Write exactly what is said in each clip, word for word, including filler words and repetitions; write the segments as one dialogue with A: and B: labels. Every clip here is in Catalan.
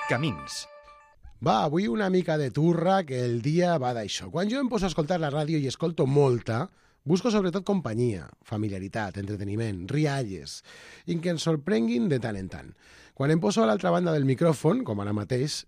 A: Camins.
B: Va, avui una mica de turra, que el dia va d'això. Quan jo em poso a escoltar la ràdio i escolto molta, busco sobretot companyia, familiaritat, entreteniment, rialles, i que ens sorprenguin de tant en tant. Quan em poso a l'altra banda del micròfon, com ara mateix,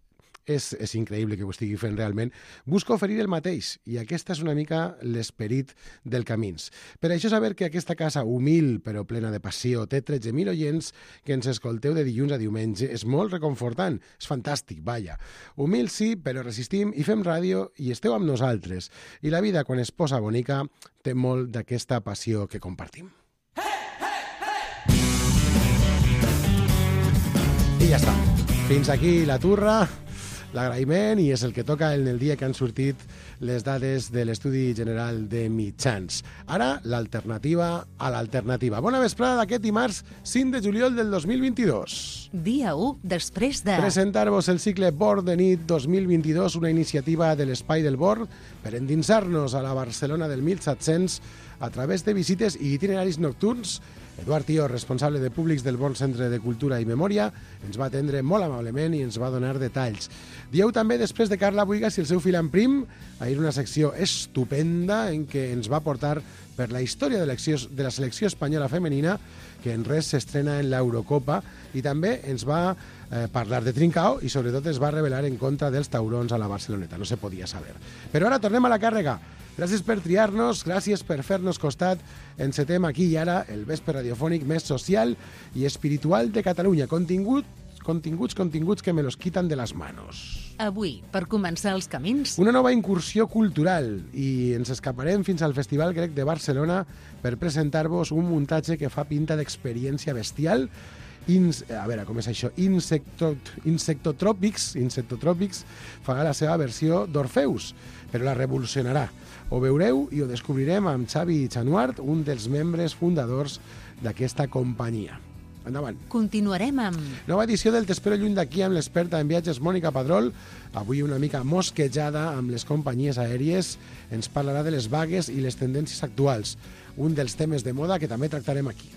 B: és, és increïble que ho estigui fent realment, busco oferir el mateix, i aquesta és una mica l'esperit del Camins. Per això saber que aquesta casa humil però plena de passió té tretze mil oients que ens escolteu de dilluns a diumenge és molt reconfortant, és fantàstic, vaja. Humil sí, però resistim i fem ràdio i esteu amb nosaltres. I la vida, quan es posa bonica, té molt d'aquesta passió que compartim. I ja està. Fins aquí la turra, l'agraïment, i és el que toca en el dia que han sortit les dades de l'Estudi General de Mitjans. Ara, l'alternativa a l'alternativa. Bona vesprada d'aquest dimarts cinc de juliol del dos mil vint-i-dos.
C: Dia u després de...
B: Presentar-vos el cicle Bord de nit dos mil vint-i-dos, una iniciativa de l'Espai del Bord per endinsar-nos a la Barcelona del mil set-cents a través de visites i itineraris nocturns. Eduard Tió, responsable de públics del Bon Centre de Cultura i Memòria, ens va atendre molt amablement i ens va donar detalls. Dieu també després de Carla Buigas i el seu fill en prim, ahir una secció estupenda en què ens va portar per la història de, de la selecció espanyola femenina, que en res s'estrena en l'Eurocopa, i també ens va eh, parlar de Trincao i sobretot es va revelar en contra dels taurons a la Barceloneta, no se podia saber. Però ara tornem a la càrrega. Gràcies per triar-nos, gràcies per fer-nos costat. Encetem aquí i ara el vespre radiofònic més social i espiritual de Catalunya. Contingut, continguts, continguts que me los quitan de les manos.
C: Avui, per començar els camins...
B: Una nova incursió cultural i ens escaparem fins al Festival Grec de Barcelona per presentar-vos un muntatge que fa pinta d'experiència bestial. Ins, a veure, com és això? Insecto, insectotròpics, insectotròpics farà la seva versió d'Orfeus, però la revolucionarà. Ho veureu i ho descobrirem amb Xavi Chanuart, un dels membres fundadors d'aquesta companyia. Endavant.
C: Continuarem amb...
B: Nova edició del T'espero lluny d'aquí amb l'experta en viatges Mònica Padrol. Avui una mica mosquejada amb les companyies aèries. Ens parlarà de les vagues i les tendències actuals. Un dels temes de moda que també tractarem aquí.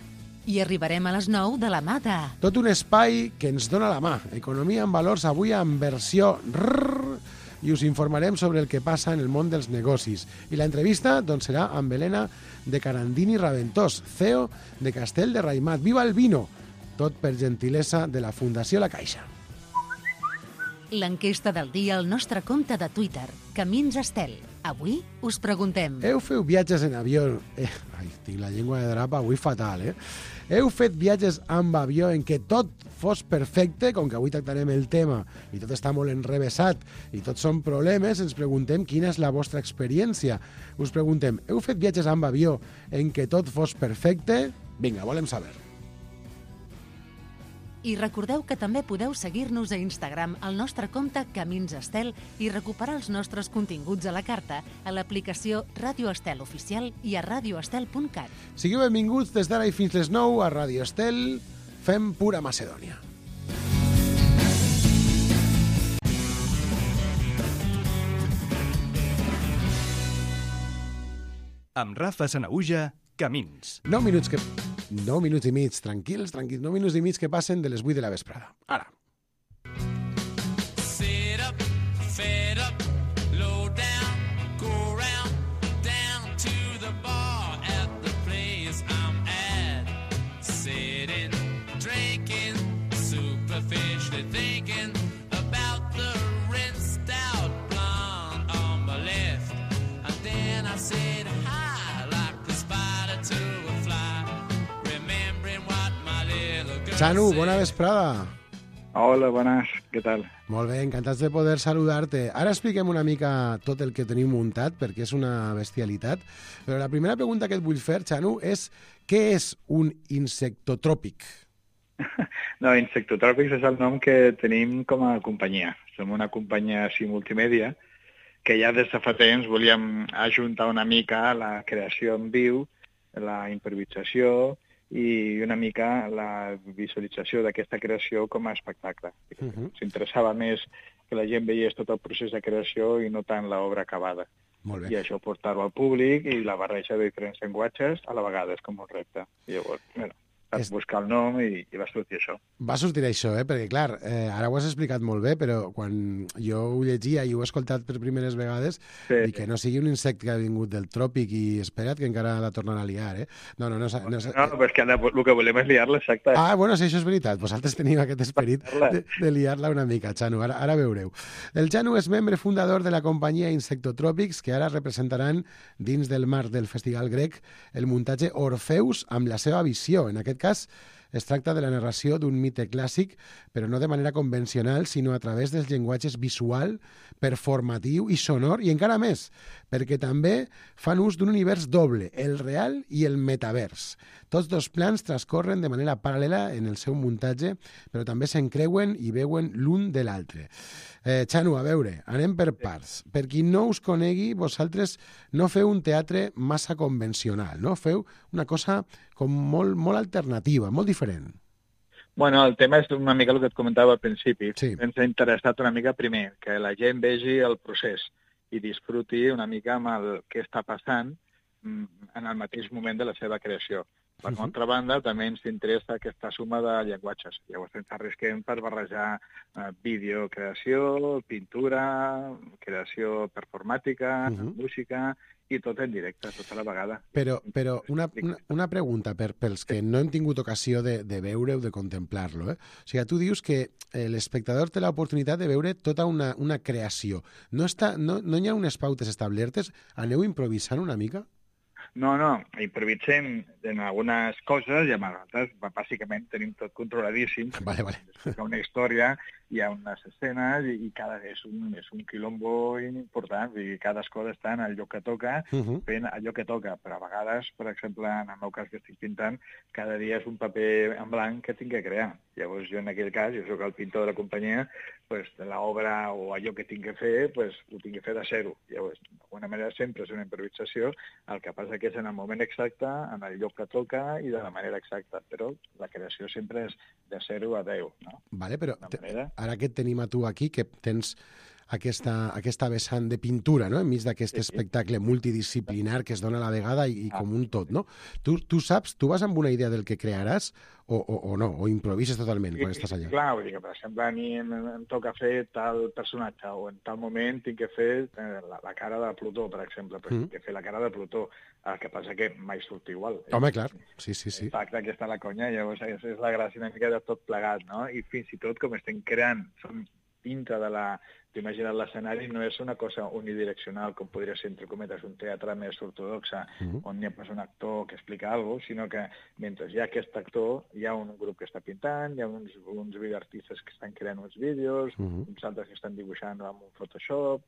C: I arribarem a les nou de la mà de...
B: Tot un espai que ens dona la mà. Economia en valors avui en versió rrrr, i us informarem sobre el que passa en el món dels negocis. I l'entrevista doncs, serà amb Helena de Carandini Raventós, C E O de Castell de Raimat. Viva el vino! Tot per gentilesa de la Fundació La Caixa.
C: L'enquesta del dia al nostre compte de Twitter, Camins Estel. Avui us preguntem...
B: Heu fet viatges en avió... Eh, ai, tinc la llengua de drapa avui fatal, eh? Heu fet viatges amb avió en què tot fos perfecte, com que avui tractarem el tema i tot està molt enrevessat i tots són problemes, ens preguntem quina és la vostra experiència. Us preguntem, heu fet viatges amb avió en què tot fos perfecte? Vinga, volem saber.
C: I recordeu que també podeu seguir-nos a Instagram al nostre compte Camins Estel i recuperar els nostres continguts a la carta a l'aplicació Ràdio Estel Oficial i a radioestel punt cat.
B: Sigueu benvinguts des d'ara i fins les nou a Ràdio Estel. Fem pura Macedònia.
A: Amb Rafa Sanaüja, Camins.
B: Nou minuts que... nou minuts i mig, tranquils, tranquils. nou minuts i mig que passen de les vuit de la vesprada. Ara.
D: Sit up, fed up, low down, go round, down to the bar at the place I'm at. Sitting, drinking, superficially thinking about the rinsed out blonde on my left. And then I said hi like a spider to a fly.
B: Xanu, bona vesprada.
E: Hola, bones, què tal?
B: Molt bé, encantats de poder saludar-te. Ara expliquem una mica tot el que tenim muntat, perquè és una bestialitat. Però la primera pregunta que et vull fer, Xanu, és què és un insectotròpic?
E: No, Insectotròpics és el nom que tenim com a companyia. Som una companyia així multimèdia que ja des de fa temps volíem ajuntar una mica la creació en viu, la improvisació i una mica la visualització d'aquesta creació com a espectacle. Uh-huh. S'interessava més que la gent veiés tot el procés de creació i no tant l'obra acabada.
B: Molt bé.
E: I això portar-ho al públic i la barreja de diferents llenguatges a la vegada és com un repte. I llavors, bueno, vaig
B: És-
E: buscar el nom i, i va sortir això.
B: Va sortir això, eh? Perquè, clar, eh, ara ho has explicat molt bé, però quan jo ho llegia i ho he escoltat per primeres vegades,
E: Sí.
B: dic que no sigui un insecte que ha vingut del tròpic i espera't que encara la tornarà a liar, eh? No, no, no... no, no,
E: No, però és que ara el que volem és liar-la, exacte.
B: Ah, bueno, si això és veritat, vosaltres teniu aquest esperit de, de liar-la una mica, Xanu, ara, ara veureu. El Xanu és membre fundador de la companyia Insectotròpics, que ara representaran dins del marc del Festival Grec el muntatge Orfeus amb la seva visió. En aquest cas, es tracta de la narració d'un mite clàssic, però no de manera convencional, sinó a través dels llenguatges visual, performatiu i sonor, i encara més, perquè també fan ús d'un univers doble, el real i el metavers. Tots dos plans transcorren de manera paral·lela en el seu muntatge, però també s'encreuen i veuen l'un de l'altre. Eh, Xanu, a veure, anem per parts. Per qui no us conegui, vosaltres no feu un teatre massa convencional, no? Feu una cosa com molt, molt alternativa, molt diferent.
E: Bueno, el tema és una mica el que et comentava al principi.
B: Sí.
E: Ens ha interessat una mica primer que la gent vegi el procés i disfruti una mica amb el que està passant mm, en el mateix moment de la seva creació. Per
B: Mhm.
E: altra banda, també ens interessa aquesta suma de llenguatges. Llavors ens arrisquem per barrejar eh, vídeo, creació, pintura, creació performàtica,
B: Mhm.
E: música, i tot en directe, tota la vegada.
B: Però, però una, una, una pregunta per, pels que no hem tingut ocasió de, de veure o de contemplar-lo. Eh? O sigui, tu dius que eh, l'espectador té l'oportunitat de veure tota una, una creació. No, està, no, no hi ha unes pautes establertes? Aneu improvisant una mica?
E: No, no, improvisem en algunes coses i amb altres, bàsicament, tenim tot controladíssim.
B: Vale, vale.
E: Hi ha una història, hi ha unes escenes i, i cada és un, és un quilombo important, i cada cosa està en el lloc que toca,
B: Uh -huh.
E: fent allò que toca, però a vegades, per exemple, en el meu cas que estic pintant, cada dia és un paper en blanc que tinc que crear. Llavors jo en aquell cas, jo sóc el pintor de la companyia, pues, l'obra o allò que tinc que fer, pues, ho tinc que fer de zero. Llavors, d'alguna manera sempre és una improvisació, el que passa que és en el moment exacte, en el lloc que toca i de la manera exacta, però la creació sempre és de zero a deu, no?
B: Vale, però
E: D'una
B: te,
E: manera.
B: ara que et tenim a tu aquí, que tens aquesta, aquesta vessant de pintura, no?, enmig d'aquest
E: Sí, sí.
B: espectacle multidisciplinar que es dona a la vegada i, i com un tot, no? Tu, tu saps, tu vas amb una idea del que crearàs o, o, o no? O improvises totalment quan estàs allà?
E: Clar, vull dir que, per exemple, a mi em, em toca fer tal personatge o en tal moment tinc que fer eh, la, la cara de Plutó, per exemple, però
B: Mm.
E: tinc que fer la cara de Plutó. El que passa que mai surt igual.
B: Home, clar, sí, sí, sí.
E: Exacte, aquí està la conya, llavors és, és la gràcia una mica de tot plegat, no? I fins i tot com estem creant, som dintre de la... T'imagines l'escenari, no és una cosa unidireccional, com podria ser, entre cometes, un teatre més ortodoxa,
B: Mhm.
E: on hi ha pues, un actor que explica alguna cosa, sinó que mentre hi ha aquest actor, hi ha un grup que està pintant, hi ha uns, uns videoartistes que estan creant uns vídeos,
B: Mhm.
E: uns altres que estan dibuixant amb un Photoshop,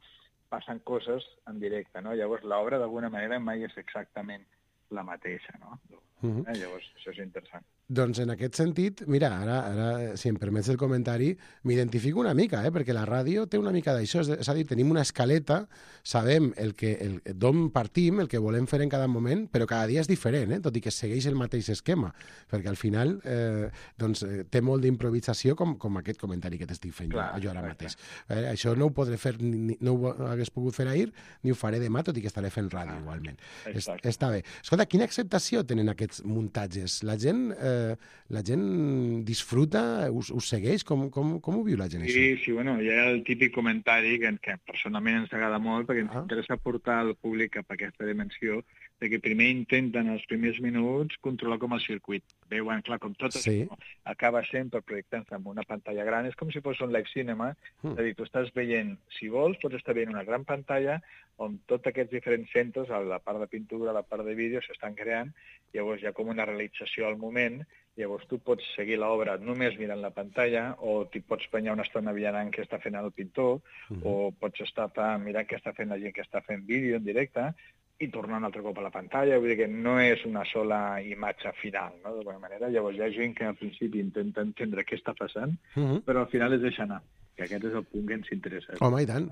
E: passen coses en directe, no? Llavors l'obra d'alguna manera mai és exactament la mateixa, no?
B: Mhm.
E: Eh? Llavors això és interessant.
B: Doncs en aquest sentit, mira, ara, ara si em permets el comentari, m'identifico una mica, eh? Perquè la ràdio té una mica d'això, és, és a dir, tenim una escaleta, sabem el que el, d'on partim, el que volem fer en cada moment, però cada dia és diferent, eh? Tot i que segueix el mateix esquema, perquè al final eh, doncs, eh, té molt d'improvisació com, com aquest comentari que t'estic fent
E: Clar,
B: jo, jo ara
E: exacte.
B: mateix. Eh, això no ho podré fer, ni, no ho hagués pogut fer ahir, ni ho faré demà, tot i que estaré fent ràdio
E: Ah,
B: igualment. Es,
E: exacte.
B: està bé. Escolta, quina acceptació tenen aquests muntatges? La gent, eh, la gent disfruta, us, us segueix? Com, com, com ho viu la gent,
E: Sí, sí, bueno, hi ha el típic comentari que, que personalment ens agrada molt perquè ens
B: Ah.
E: interessa portar el públic cap a aquesta dimensió de que primer intenten els primers minuts controlar com el circuit. Veuen, clar, com tot
B: Sí.
E: això acaba sempre projectant-se en una pantalla gran. És com si fos un live cinema,
B: Mm.
E: és a dir, tu estàs veient, si vols, pots estar veient una gran pantalla on tots aquests diferents centres, a la part de pintura, a la part de vídeo, s'estan creant, llavors hi ha com una realització al moment, llavors tu pots seguir l'obra només mirant la pantalla, o t'hi pots penyar una estona mirant què està fent el pintor,
B: Mhm.
E: o pots estar pa- mirant què està fent la gent que està fent vídeo en directe, i tornar un altre cop a la pantalla, vull dir que no és una sola imatge final, no?, d'alguna manera. Llavors hi ha gent que al principi intenta entendre què està passant,
B: Mhm.
E: però al final es deixa anar, que aquest és el punt que ens interessa.
B: Home, i tant.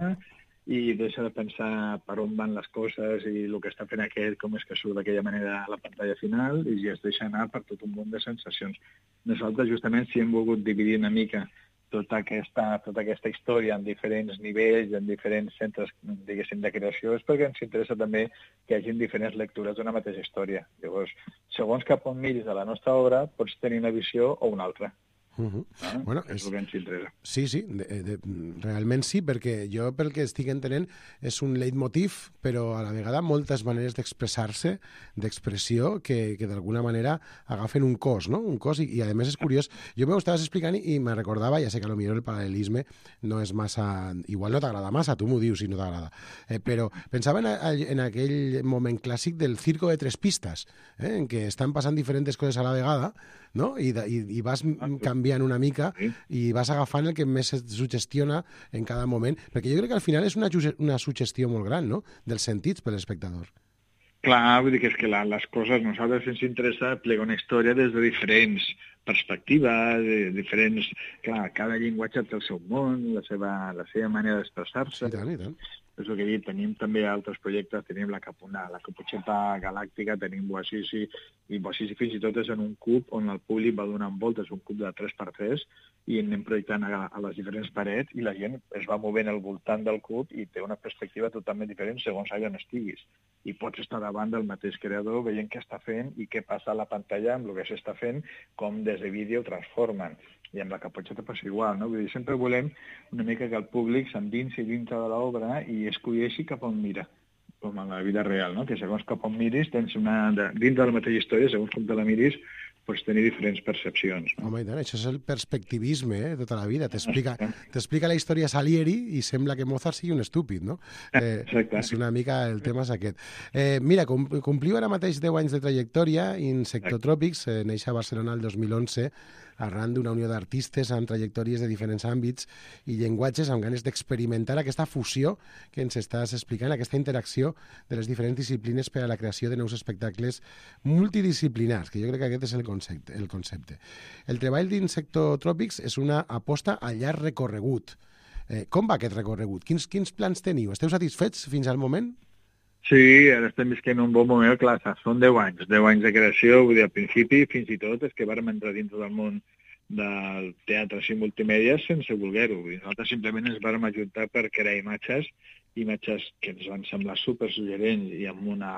E: I deixa de pensar per on van les coses i el que està fent aquest, com és que surt d'aquella manera a la pantalla final, i es deixa anar per tot un munt de sensacions. Nosaltres, justament, si hem volgut dividir una mica tota aquesta, tota aquesta història en diferents nivells, en diferents centres, diguéssim, de creació, és perquè ens interessa també que hi hagi diferents lectures d'una mateixa història. Llavors, segons cap on miris a la nostra obra, pots tenir una visió o una altra.
B: Uh -huh.
E: Ah,
B: bueno,
E: és el que ens interessa.
B: Sí, sí, de, de, realment sí, perquè jo pel que estic entenent és un leitmotiv, però a la vegada moltes maneres d'expressar-se, d'expressió, que, que d'alguna manera agafen un cos, no? Un cos, i, i a més és curiós. Jo m'ho estaves explicant i, i me recordava, ja sé que potser el paral·lelisme no és massa... Igual no t'agrada massa, tu m'ho dius si no t'agrada, eh, però pensava en, a, en aquell moment clàssic del circo de tres pistes, eh, en què estan passant diferents coses a la vegada, no? I, de, i, i vas canviant una mica
E: sí.
B: i vas agafant el que més et suggestiona en cada moment, perquè jo crec que al final és una, una suggestió molt gran, no?, dels sentits per l'espectador.
E: Clar, vull dir que és que la, les coses, nosaltres ens interessa plegar una història des de diferents perspectives, de diferents... Clar, cada llenguatge té el seu món, la seva, la seva manera d'expressar-se.
B: I tant, i tant.
E: És el que he dit, tenim també altres projectes, tenim la, capuna, la Caputxeta Galàctica, tenim Boassisi, i Boassisi fins i tot és en un cub on el públic va donant voltes, un cub de tres per tres, i anem projectant a, a les diferents parets i la gent es va movent al voltant del cub i té una perspectiva totalment diferent segons allà on estiguis. I pots estar davant del mateix creador veient què està fent i què passa a la pantalla amb el que s'està fent, com des de vídeo transformen. I amb la Caputxeta passa igual, no? Vull dir, sempre volem una mica que el públic s'endinsi dintre de l'obra i escolleixi cap on mira, com en la vida real, no? Que segons cap on miris, tens una... Dintre de la mateixa història, segons com te la miris, pots tenir diferents percepcions. No?
B: Home, i tant, això és el perspectivisme, eh, tota la vida. T'explica t'explica la història Salieri i sembla que Mozart sigui un estúpid, no? Eh, és una mica el tema és aquest. Eh, mira, com, compliu ara mateix deu anys de trajectòria, Insectotròpics, eh, neix a Barcelona el dos mil onze, arran d'una unió d'artistes amb trajectòries de diferents àmbits i llenguatges amb ganes d'experimentar aquesta fusió que ens estàs explicant, aquesta interacció de les diferents disciplines per a la creació de nous espectacles multidisciplinars, que jo crec que aquest és el concepte. El, concepte. el treball d'Insectotròpics és una aposta a llarg recorregut. Eh, com va aquest recorregut? Quins, quins plans teniu? Esteu satisfets fins al moment?
E: Sí, ara estem visquent un bon moment, clar, són deu anys, deu anys de creació, vull dir, al principi, fins i tot, és que vàrem entrar dins del món del teatre i multimèdia sense voler-ho. Nosaltres simplement ens vàrem ajuntar per crear imatges, imatges que ens van semblar supersuggerents i amb una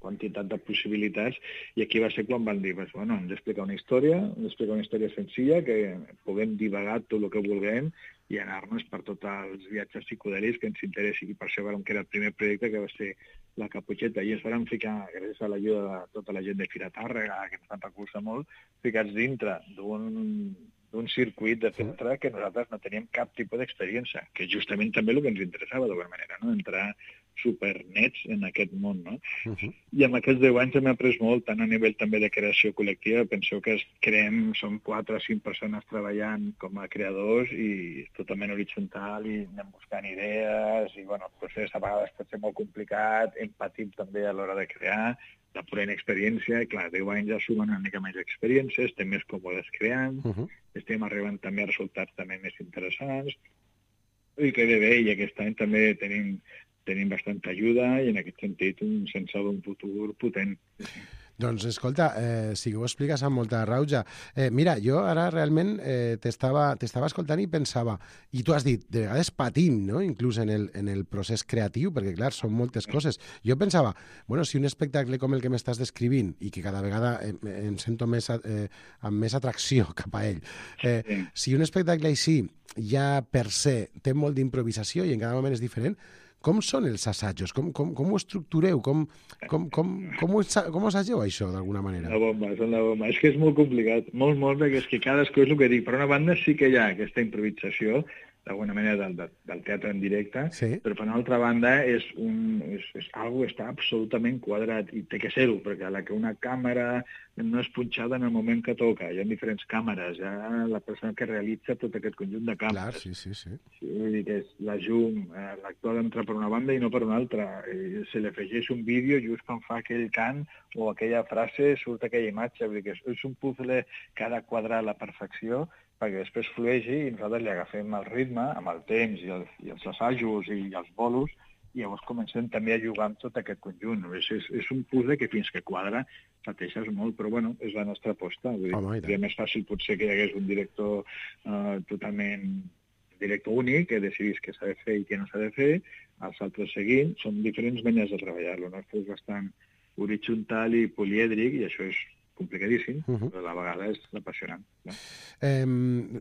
E: quantitat de possibilitats, i aquí va ser quan van dir, bueno, hem d'explicar una història, hem d'explicar una història senzilla, que puguem divagar tot el que vulguem i anar-nos per tots els viatges psicodèlics que ens interessi. I per això vam crear el primer projecte, que va ser la Caputxeta, i ens vam ficar, gràcies a l'ajuda de tota la gent de Fira Tàrrega, que ens van recolzar molt, ficats dintre d'un d'un circuit de teatre que nosaltres no teníem cap tipus d'experiència, que justament també el que ens interessava d'alguna manera, no? Entrar supernets en aquest món, no? Uh -huh. I amb aquests deu anys hem après molt, tant a nivell també de creació col·lectiva. Penseu que creem, som quatre o cinc persones treballant com a creadors i totalment horitzontal i anem buscant idees i, bueno, el procés a vegades pot ser molt complicat, empatim també a l'hora de crear, de pura inexperiència, i clar, deu anys ja sumen una mica més d'experiència, estem més còmodes creant, uh -huh. estem arribant també a resultats també més interessants, i que bé bé, i aquest any també tenim, tenim bastanta ajuda i en aquest sentit un sense d'un futur potent.
B: Doncs, escolta, eh, sí que ho expliques amb molta rauja. Eh, mira, jo ara realment eh, t'estava escoltant i pensava, i tu has dit, de vegades patim, no?, inclús en el, en el procés creatiu, perquè, clar, són moltes coses. Jo pensava, bueno, si un espectacle com el que m'estàs descrivint, i que cada vegada em, em sento més, eh, amb més atracció cap a ell, eh, sí. si un espectacle així ja per se té molt d'improvisació i en cada moment és diferent, com són els assajos? Com, com, com ho estructureu? Com, com, com, com, ho, com ho assageu, això, d'alguna manera?
E: La bomba, són la bomba. És que és molt complicat, molt, molt, perquè és que cadascú és el que dic. Per una banda sí que hi ha aquesta improvisació, d'alguna manera, del, del, del teatre en directe, sí. Però per una altra banda és, un, és, és algo que està absolutament quadrat, i té que ser-ho, perquè a la que una càmera no és punxada en el moment que toca, hi ha diferents càmeres, hi ha la persona que realitza tot aquest conjunt de càmeres.
B: Clar, sí, sí, sí.
E: sí vull dir que és la llum, eh, l'actor entra per una banda i no per una altra, i se li afegeix un vídeo just quan fa aquell cant o aquella frase surt aquella imatge, vull dir que és, és un puzzle que ha de quadrar a la perfecció perquè després flueixi i nosaltres li agafem el ritme amb el temps i els, i els assajos i els bolos i llavors comencem també a jugar amb tot aquest conjunt. És, és, és un puzzle que fins que quadra pateixes molt, però bueno, és la nostra aposta. Vull dir,
B: Home,
E: seria més fàcil potser que hi hagués un director uh, totalment director únic, que decidís què s'ha de fer i què no s'ha de fer, els altres seguint. Són diferents maneres de treballar-lo. El nostre és bastant horitzontal i polièdric, i això és complicadíssim, uh -huh. però a la vegada és apassionant. No?
B: Eh,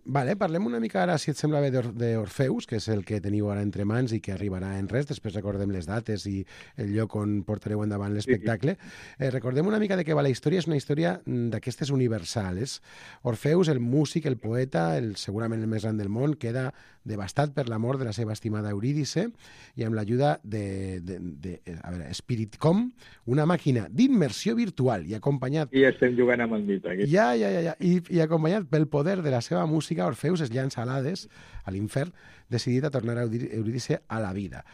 B: vale, parlem una mica ara, si et sembla bé, d'Orfeus, que és el que teniu ara entre mans i que arribarà en res. Després recordem les dates i el lloc on portareu endavant l'espectacle. Eh, recordem una mica de què va la història. És una història d'aquestes universals. Orfeus, el músic, el poeta, el, segurament el més gran del món, queda devastat per la mort de la seva estimada Eurídice, i amb l'ajuda de, de, de, a veure, Spiritcom, una màquina d'immersió virtual, i acompanyat...
E: I estem jugant amb el mite. Aquí.
B: Ja, ja, ja, ja. I, i acompanyat pel poder de la seva música, Orfeus es llança a l'Hades, a l'infern, decidit a tornar a Eurídice a la vida.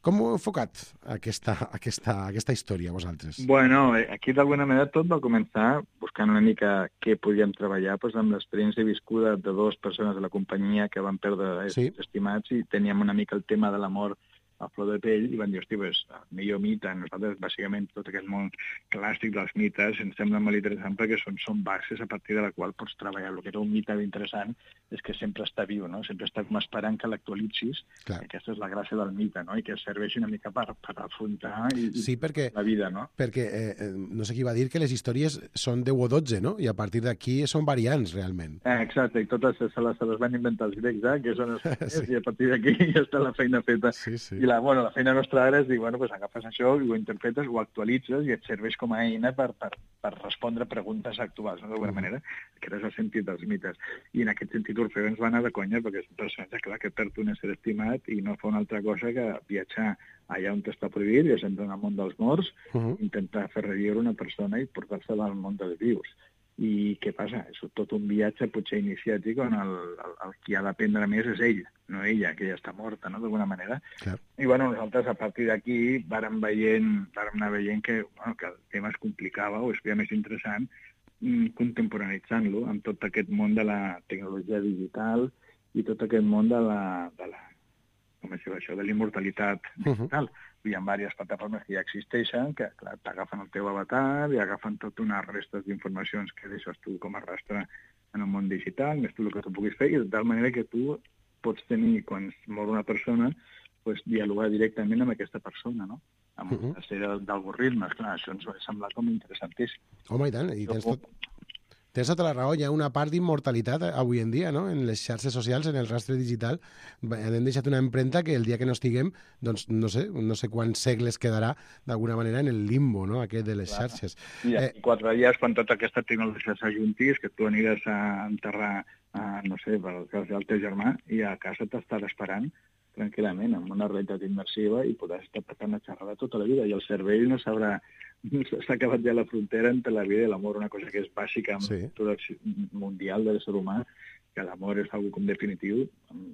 B: Com heu enfocat aquesta, aquesta, aquesta història, vosaltres?
E: Bueno, aquí d'alguna manera tot va començar buscant una mica què podíem treballar doncs, amb l'experiència viscuda de dues persones de la companyia que van perdre
B: sí.
E: estimats, i teníem una mica el tema de la mort a flor de pell, i van dir, hosti, pues, el millor mite. Nosaltres, bàsicament, tot aquest món clàssic dels mites ens sembla molt interessant perquè són, són bases a partir de la qual pots treballar. El que era un mite interessant és que sempre està viu, no? Sempre està com esperant que l'actualitzis. Aquesta és la gràcia del mite, no? I que serveixi una mica per, per afrontar i,
B: sí, perquè,
E: la vida, no?
B: Perquè, eh, no sé qui va dir que les històries són deu o dotze, no? I a partir d'aquí són variants, realment.
E: Eh, exacte, i totes se les, se les van inventar els grecs, eh? Que són els sí. I a partir d'aquí ja està la feina feta.
B: Sí, sí.
E: I la, bueno, la feina nostra ara és dir, bueno, pues agafes això i ho interpretes, ho actualitzes i et serveix com a eina per, per, per respondre preguntes actuals, no? D'alguna manera. Aquest és el sentit dels mites. I en aquest sentit Orfeu ens va anar de conya, perquè és un personatge, clar, que perd un ésser estimat i no fa una altra cosa que viatjar allà on està prohibit, ja sempre en el món dels morts, uh -huh. intentar fer reviure una persona i portar-se-la al món dels vius. I què passa? És tot un viatge potser iniciàtic on el, el, el qui ha d'aprendre més és ell, no ella, que ja està morta, no?, d'alguna manera.
B: Clar.
E: I bueno, nosaltres a partir d'aquí vàrem veient, vàrem anar veient que, bueno, que el tema es complicava o es feia més interessant contemporanitzant-lo amb tot aquest món de la tecnologia digital i tot aquest món de la, de la com es diu això, de l'immortalitat digital. Uh -huh. Hi ha diverses plataformes que ja existeixen, que clar, t'agafen el teu avatar i agafen totes unes restes d'informacions que deixes tu com a rastre en el món digital, més tu el que tu puguis fer, i de tal manera que tu pots tenir, quan mor una persona, pues, dialogar directament amb aquesta persona, no? Amb uh -huh. una sèrie d'algoritmes. Clar, això ens va semblar com interessantíssim.
B: Home, i tant, i tens tot... Tens tota la raó, hi ha una part d'immortalitat avui en dia, no?, en les xarxes socials, en el rastre digital. Hem deixat una empremta que el dia que no estiguem, doncs no sé, no sé quants segles quedarà d'alguna manera en el limbo, no?, aquest de les Clar. xarxes.
E: I eh... quatre dies, quan tota aquesta tecnologia s'ajuntis, que tu aniràs a enterrar, a, no sé, pel cas del teu germà, i a casa t'estarà esperant tranquil·lament, amb una realitat immersiva, i podràs estar passant una xerrada tota la vida, i el cervell no sabrà... S'ha acabat ja la frontera entre la vida i l'amor, una cosa que és bàsica en sí. la cultura mundial de l'ésser humà, que l'amor és algo com definitiu.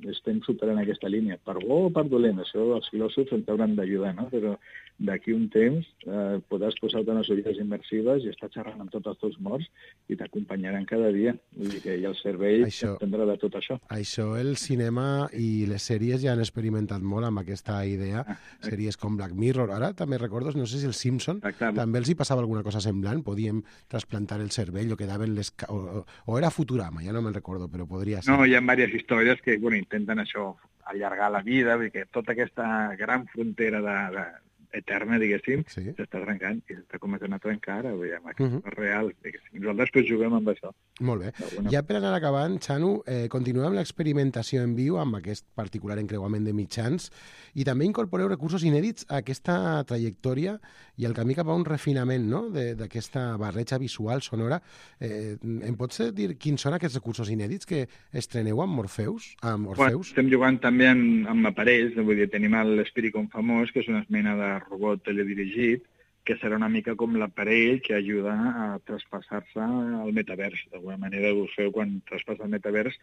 E: Estem superant aquesta línia. Per bo o per dolent, això els filòsofs ens hauran d'ajudar, no? Però d'aquí un temps eh, podràs posar-te unes ulleres immersives i estar xerrant amb tots els teus morts i t'acompanyaran cada dia. Vull dir que el cervell entendrà de tot això.
B: Això el cinema i les sèries ja han experimentat molt amb aquesta idea. Ah, sèries com Black Mirror. Ara també recordo, no sé si el Simpson, Exacte. també els hi passava alguna cosa semblant. Podíem trasplantar el cervell o quedaven les... O, o era Futurama, ja no me'n recordo, però podria ser.
E: No, hi ha diverses històries que bueno, intenten això, allargar la vida, perquè tota aquesta gran frontera de, de, eterna, diguéssim, sí. s'està trencant i s'està començant a trencar ara, veiem, aquest uh -huh. real, diguéssim. Nosaltres pues, juguem amb això.
B: Molt bé. Alguna... Ja per anar acabant, Xanu, eh, continuem amb l'experimentació en viu, amb aquest particular encreuament de mitjans, i també incorporeu recursos inèdits a aquesta trajectòria i el camí cap a un refinament, no?, d'aquesta barreja visual, sonora. Eh, em pots dir quins són aquests recursos inèdits que estreneu amb Morpheus? Amb Orfeus?
E: Bueno, estem jugant també amb, amb aparells, vull dir, tenim l'Spiritcom famós, que és una mena de robot teledirigit, que serà una mica com l'aparell que ajuda a traspassar-se al metavers. D'alguna manera, Orfeu, quan traspassa el metavers,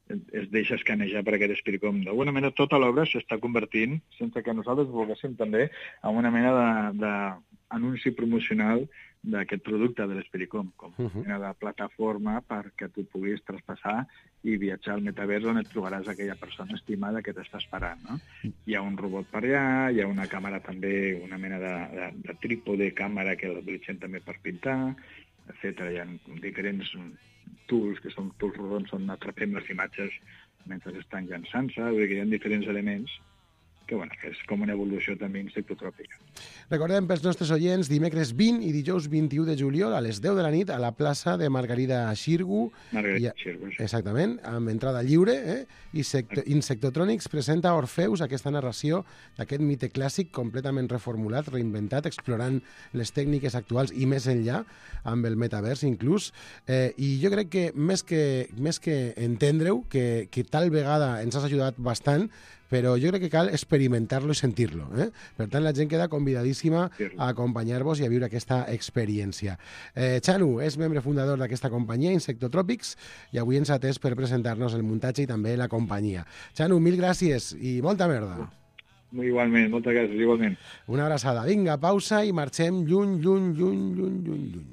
E: es deixa escanejar per aquest Spiritcom. D'alguna manera, tota l'obra s'està convertint, sense que nosaltres volguéssim també, en una mena de, de anunci promocional d'aquest producte de l'Espericom, com
B: Uh-huh.
E: una de plataforma perquè tu puguis traspassar i viatjar al metavers on et trobaràs aquella persona estimada que t'està esperant, no? Hi ha un robot per allà, hi ha una càmera també, una mena de, de, de trípode càmera que l'utilitzen també per pintar, etcètera. Hi ha diferents tools, que són tools rodons, on atrapem les imatges mentre estan llançant-se, vull dir que hi ha diferents elements que, bueno, que és com una evolució també insectotròpica.
B: Recordem pels nostres oients, dimecres vint i dijous vint-i-u de juliol a les deu de la nit a la plaça de Margarida Xirgu.
E: Margarida
B: I-
E: Xirgu, sí.
B: Exactament, amb entrada lliure, eh? I Sect Insectotronics presenta Orfeus, aquesta narració d'aquest mite clàssic completament reformulat, reinventat, explorant les tècniques actuals i més enllà, amb el metavers inclús. Eh, I jo crec que més que, més que entendre-ho, que, que tal vegada ens has ajudat bastant, però jo crec que cal experimentar-lo i sentir-lo. Eh? Per tant, la gent queda convidadíssima a acompanyar-vos i a viure aquesta experiència. Eh, Xanu és membre fundador d'aquesta companyia, Insectotròpics, i avui ens ha atès per presentar-nos el muntatge i també la companyia. Xanu, mil gràcies i molta merda.
E: Igualment, moltes gràcies, igualment.
B: Una abraçada. Vinga, pausa i marxem lluny, lluny, lluny, lluny, lluny, lluny.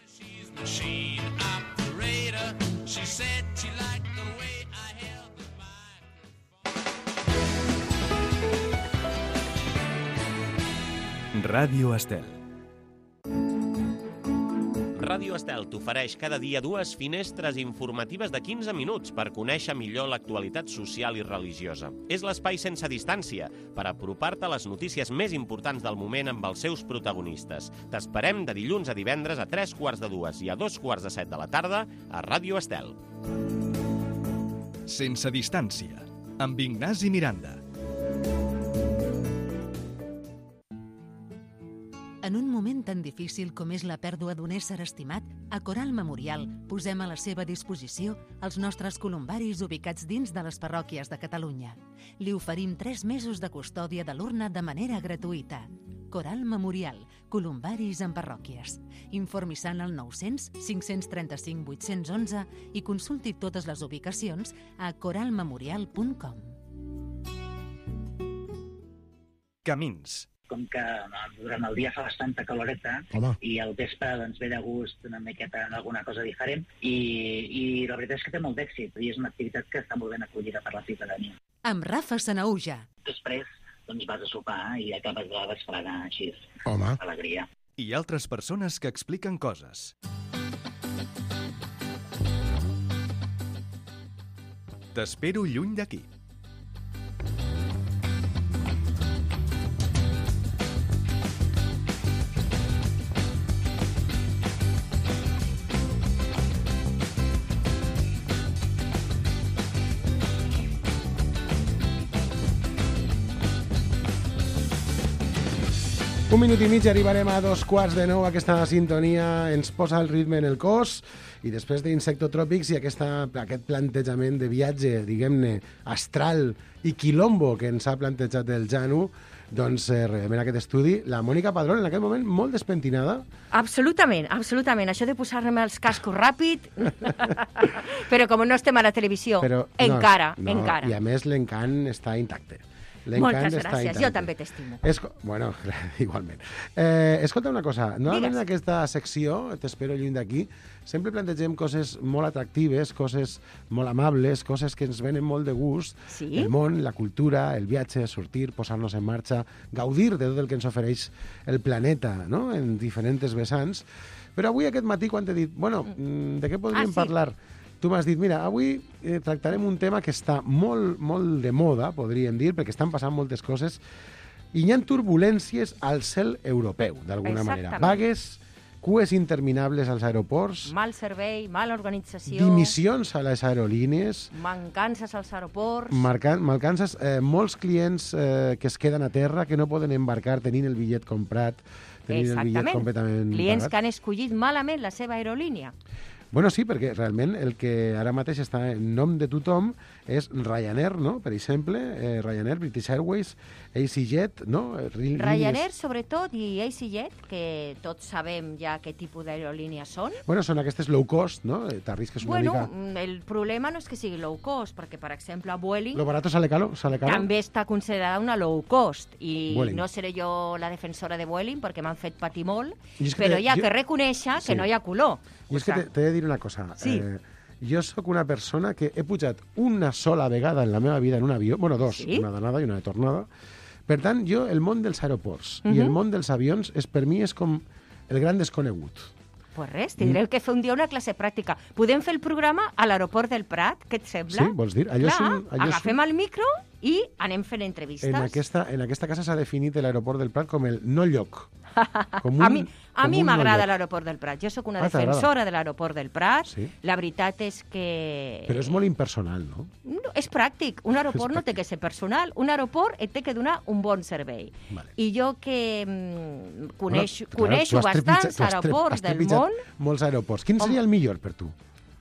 D: She's machine operator. She said she liked the way I held the microphone.
A: Ràdio Estel.
F: Ràdio Estel t'ofereix cada dia dues finestres informatives de quinze minuts per conèixer millor l'actualitat social i religiosa. És l'espai sense distància per apropar-te a les notícies més importants del moment amb els seus protagonistes. T'esperem de dilluns a divendres a tres quarts de dues i a dos quarts de set de la tarda a Ràdio Estel.
A: Sense distància, amb Ignasi Miranda.
C: En un moment tan difícil com és la pèrdua d'un ésser estimat, a Coral Memorial posem a la seva disposició els nostres columbaris ubicats dins de les parròquies de Catalunya. Li oferim tres mesos de custòdia de l'urna de manera gratuïta. Coral Memorial, columbaris en parròquies. Informi-se'n al nou-cents, cinc-cents trenta-cinc, vuit-cents onze i consulti totes les ubicacions a coral memorial punt com.
A: Camins.
G: Com que durant el dia fa bastanta caloreta
B: Home.
G: i al vespre doncs, ve de gust una miqueta en alguna cosa diferent i, i la veritat és que té molt d'èxit i és una activitat que està molt ben acollida per la ciutadania.
C: Amb Rafa Sanauja.
G: Després doncs, vas a sopar i acabes de desfregar així,
B: Home.
G: alegria.
A: I altres persones que expliquen coses. T'espero lluny d'aquí.
B: Un minut i mig arribarem a dos quarts de nou. Aquesta sintonia ens posa el ritme en el cos i després d'Insectotròpics i aquesta, aquest plantejament de viatge, diguem-ne, astral i quilombo que ens ha plantejat el Janu, doncs eh, rebem en aquest estudi la Mònica Padrón, en aquest moment molt despentinada.
H: Absolutament, absolutament. Això de posar-me els cascos ràpid... Però com no estem a la televisió,
B: Però,
H: encara,
B: no, no,
H: encara.
B: I a més l'encant està intacte.
H: Moltes gràcies, jo també t'estimo.
B: Esco... Bueno, igualment. Eh, escolta una cosa, normalment en
H: Digues.
B: aquesta secció, t'espero lluny d'aquí, sempre plantegem coses molt atractives, coses molt amables, coses que ens venen molt de gust,
H: Sí?
B: el món, la cultura, el viatge, sortir, posar-nos en marxa, gaudir de tot el que ens ofereix el planeta, no?, en diferents vessants. Però avui aquest matí, quan t'he dit, bueno, mm, de què podríem
H: Ah, sí.
B: parlar? Tu m'has dit, mira, avui eh, tractarem un tema que està molt, molt de moda, podríem dir, perquè estan passant moltes coses, i hi ha turbulències al cel europeu, d'alguna manera.
H: Exactament.
B: Vagues, cues interminables als aeroports,
H: Mal servei, mala organització,
B: dimissions a les aerolínies,
H: mancances als aeroports...
B: marcan, malcances, eh, molts clients eh, que es queden a terra, que no poden embarcar tenint el bitllet comprat, tenint el bitllet completament
H: Clients
B: pagat.
H: que han escollit malament la seva aerolínia.
B: Bueno, sí, perquè realment el que ara mateix està en nom de tothom és Ryanair, no? Per exemple, eh, Ryanair, British Airways, EasyJet, no? Línies...
H: Ryanair, sobretot, i EasyJet, que tots sabem ja què tipus d'aerolínies són.
B: Bueno, són aquestes low cost, no? T'arrisques una
H: bueno,
B: mica...
H: el problema no és que sigui low cost, perquè, per exemple, Vueling...
B: Lo barato sale caro, sale caro.
H: També està considerada una low cost, i
B: Vueling.
H: no seré jo la defensora de Vueling, perquè m'han fet patir molt,
B: que
H: però
B: te,
H: hi ha
B: jo...
H: que reconèixer
B: sí.
H: que no hi ha color.
B: I és que t'he de dir una cosa.
H: Sí.
B: Eh, jo sóc una persona que he pujat una sola vegada en la meva vida en un avió, bueno, dos,
H: sí?
B: una d'anada i una de tornada. Per tant, jo, el món dels aeroports uh -huh. i el món dels avions, és, per mi, és com el gran desconegut.
H: Pues res, tindreu que fer un dia una classe pràctica. Podem fer el programa a l'aeroport del Prat, què et sembla?
B: Sí, vols dir? Allò
H: Clar,
B: és un, allò
H: agafem
B: és un...
H: el micro i anem fent entrevistes.
B: En aquesta, en aquesta casa s'ha definit l'aeroport del Prat com el no lloc. Com un,
H: a mi, a
B: com
H: mi
B: un
H: m'agrada
B: no lloc.
H: l'aeroport del Prat. Jo sóc una
B: Ah,
H: defensora de l'aeroport del Prat.
B: Sí.
H: La veritat és que...
B: Però és molt impersonal, no?
H: No, és pràctic. Un aeroport no té que ser personal. Un aeroport et té que donar un bon servei.
B: Vale.
H: I jo que mm, coneixo,
B: Bueno,
H: coneixo
B: tu has trepitjat-
H: bastants
B: tu has trep-
H: aeroports
B: has
H: del
B: trepitjat
H: món.
B: molts aeroports. Quin seria el millor per tu?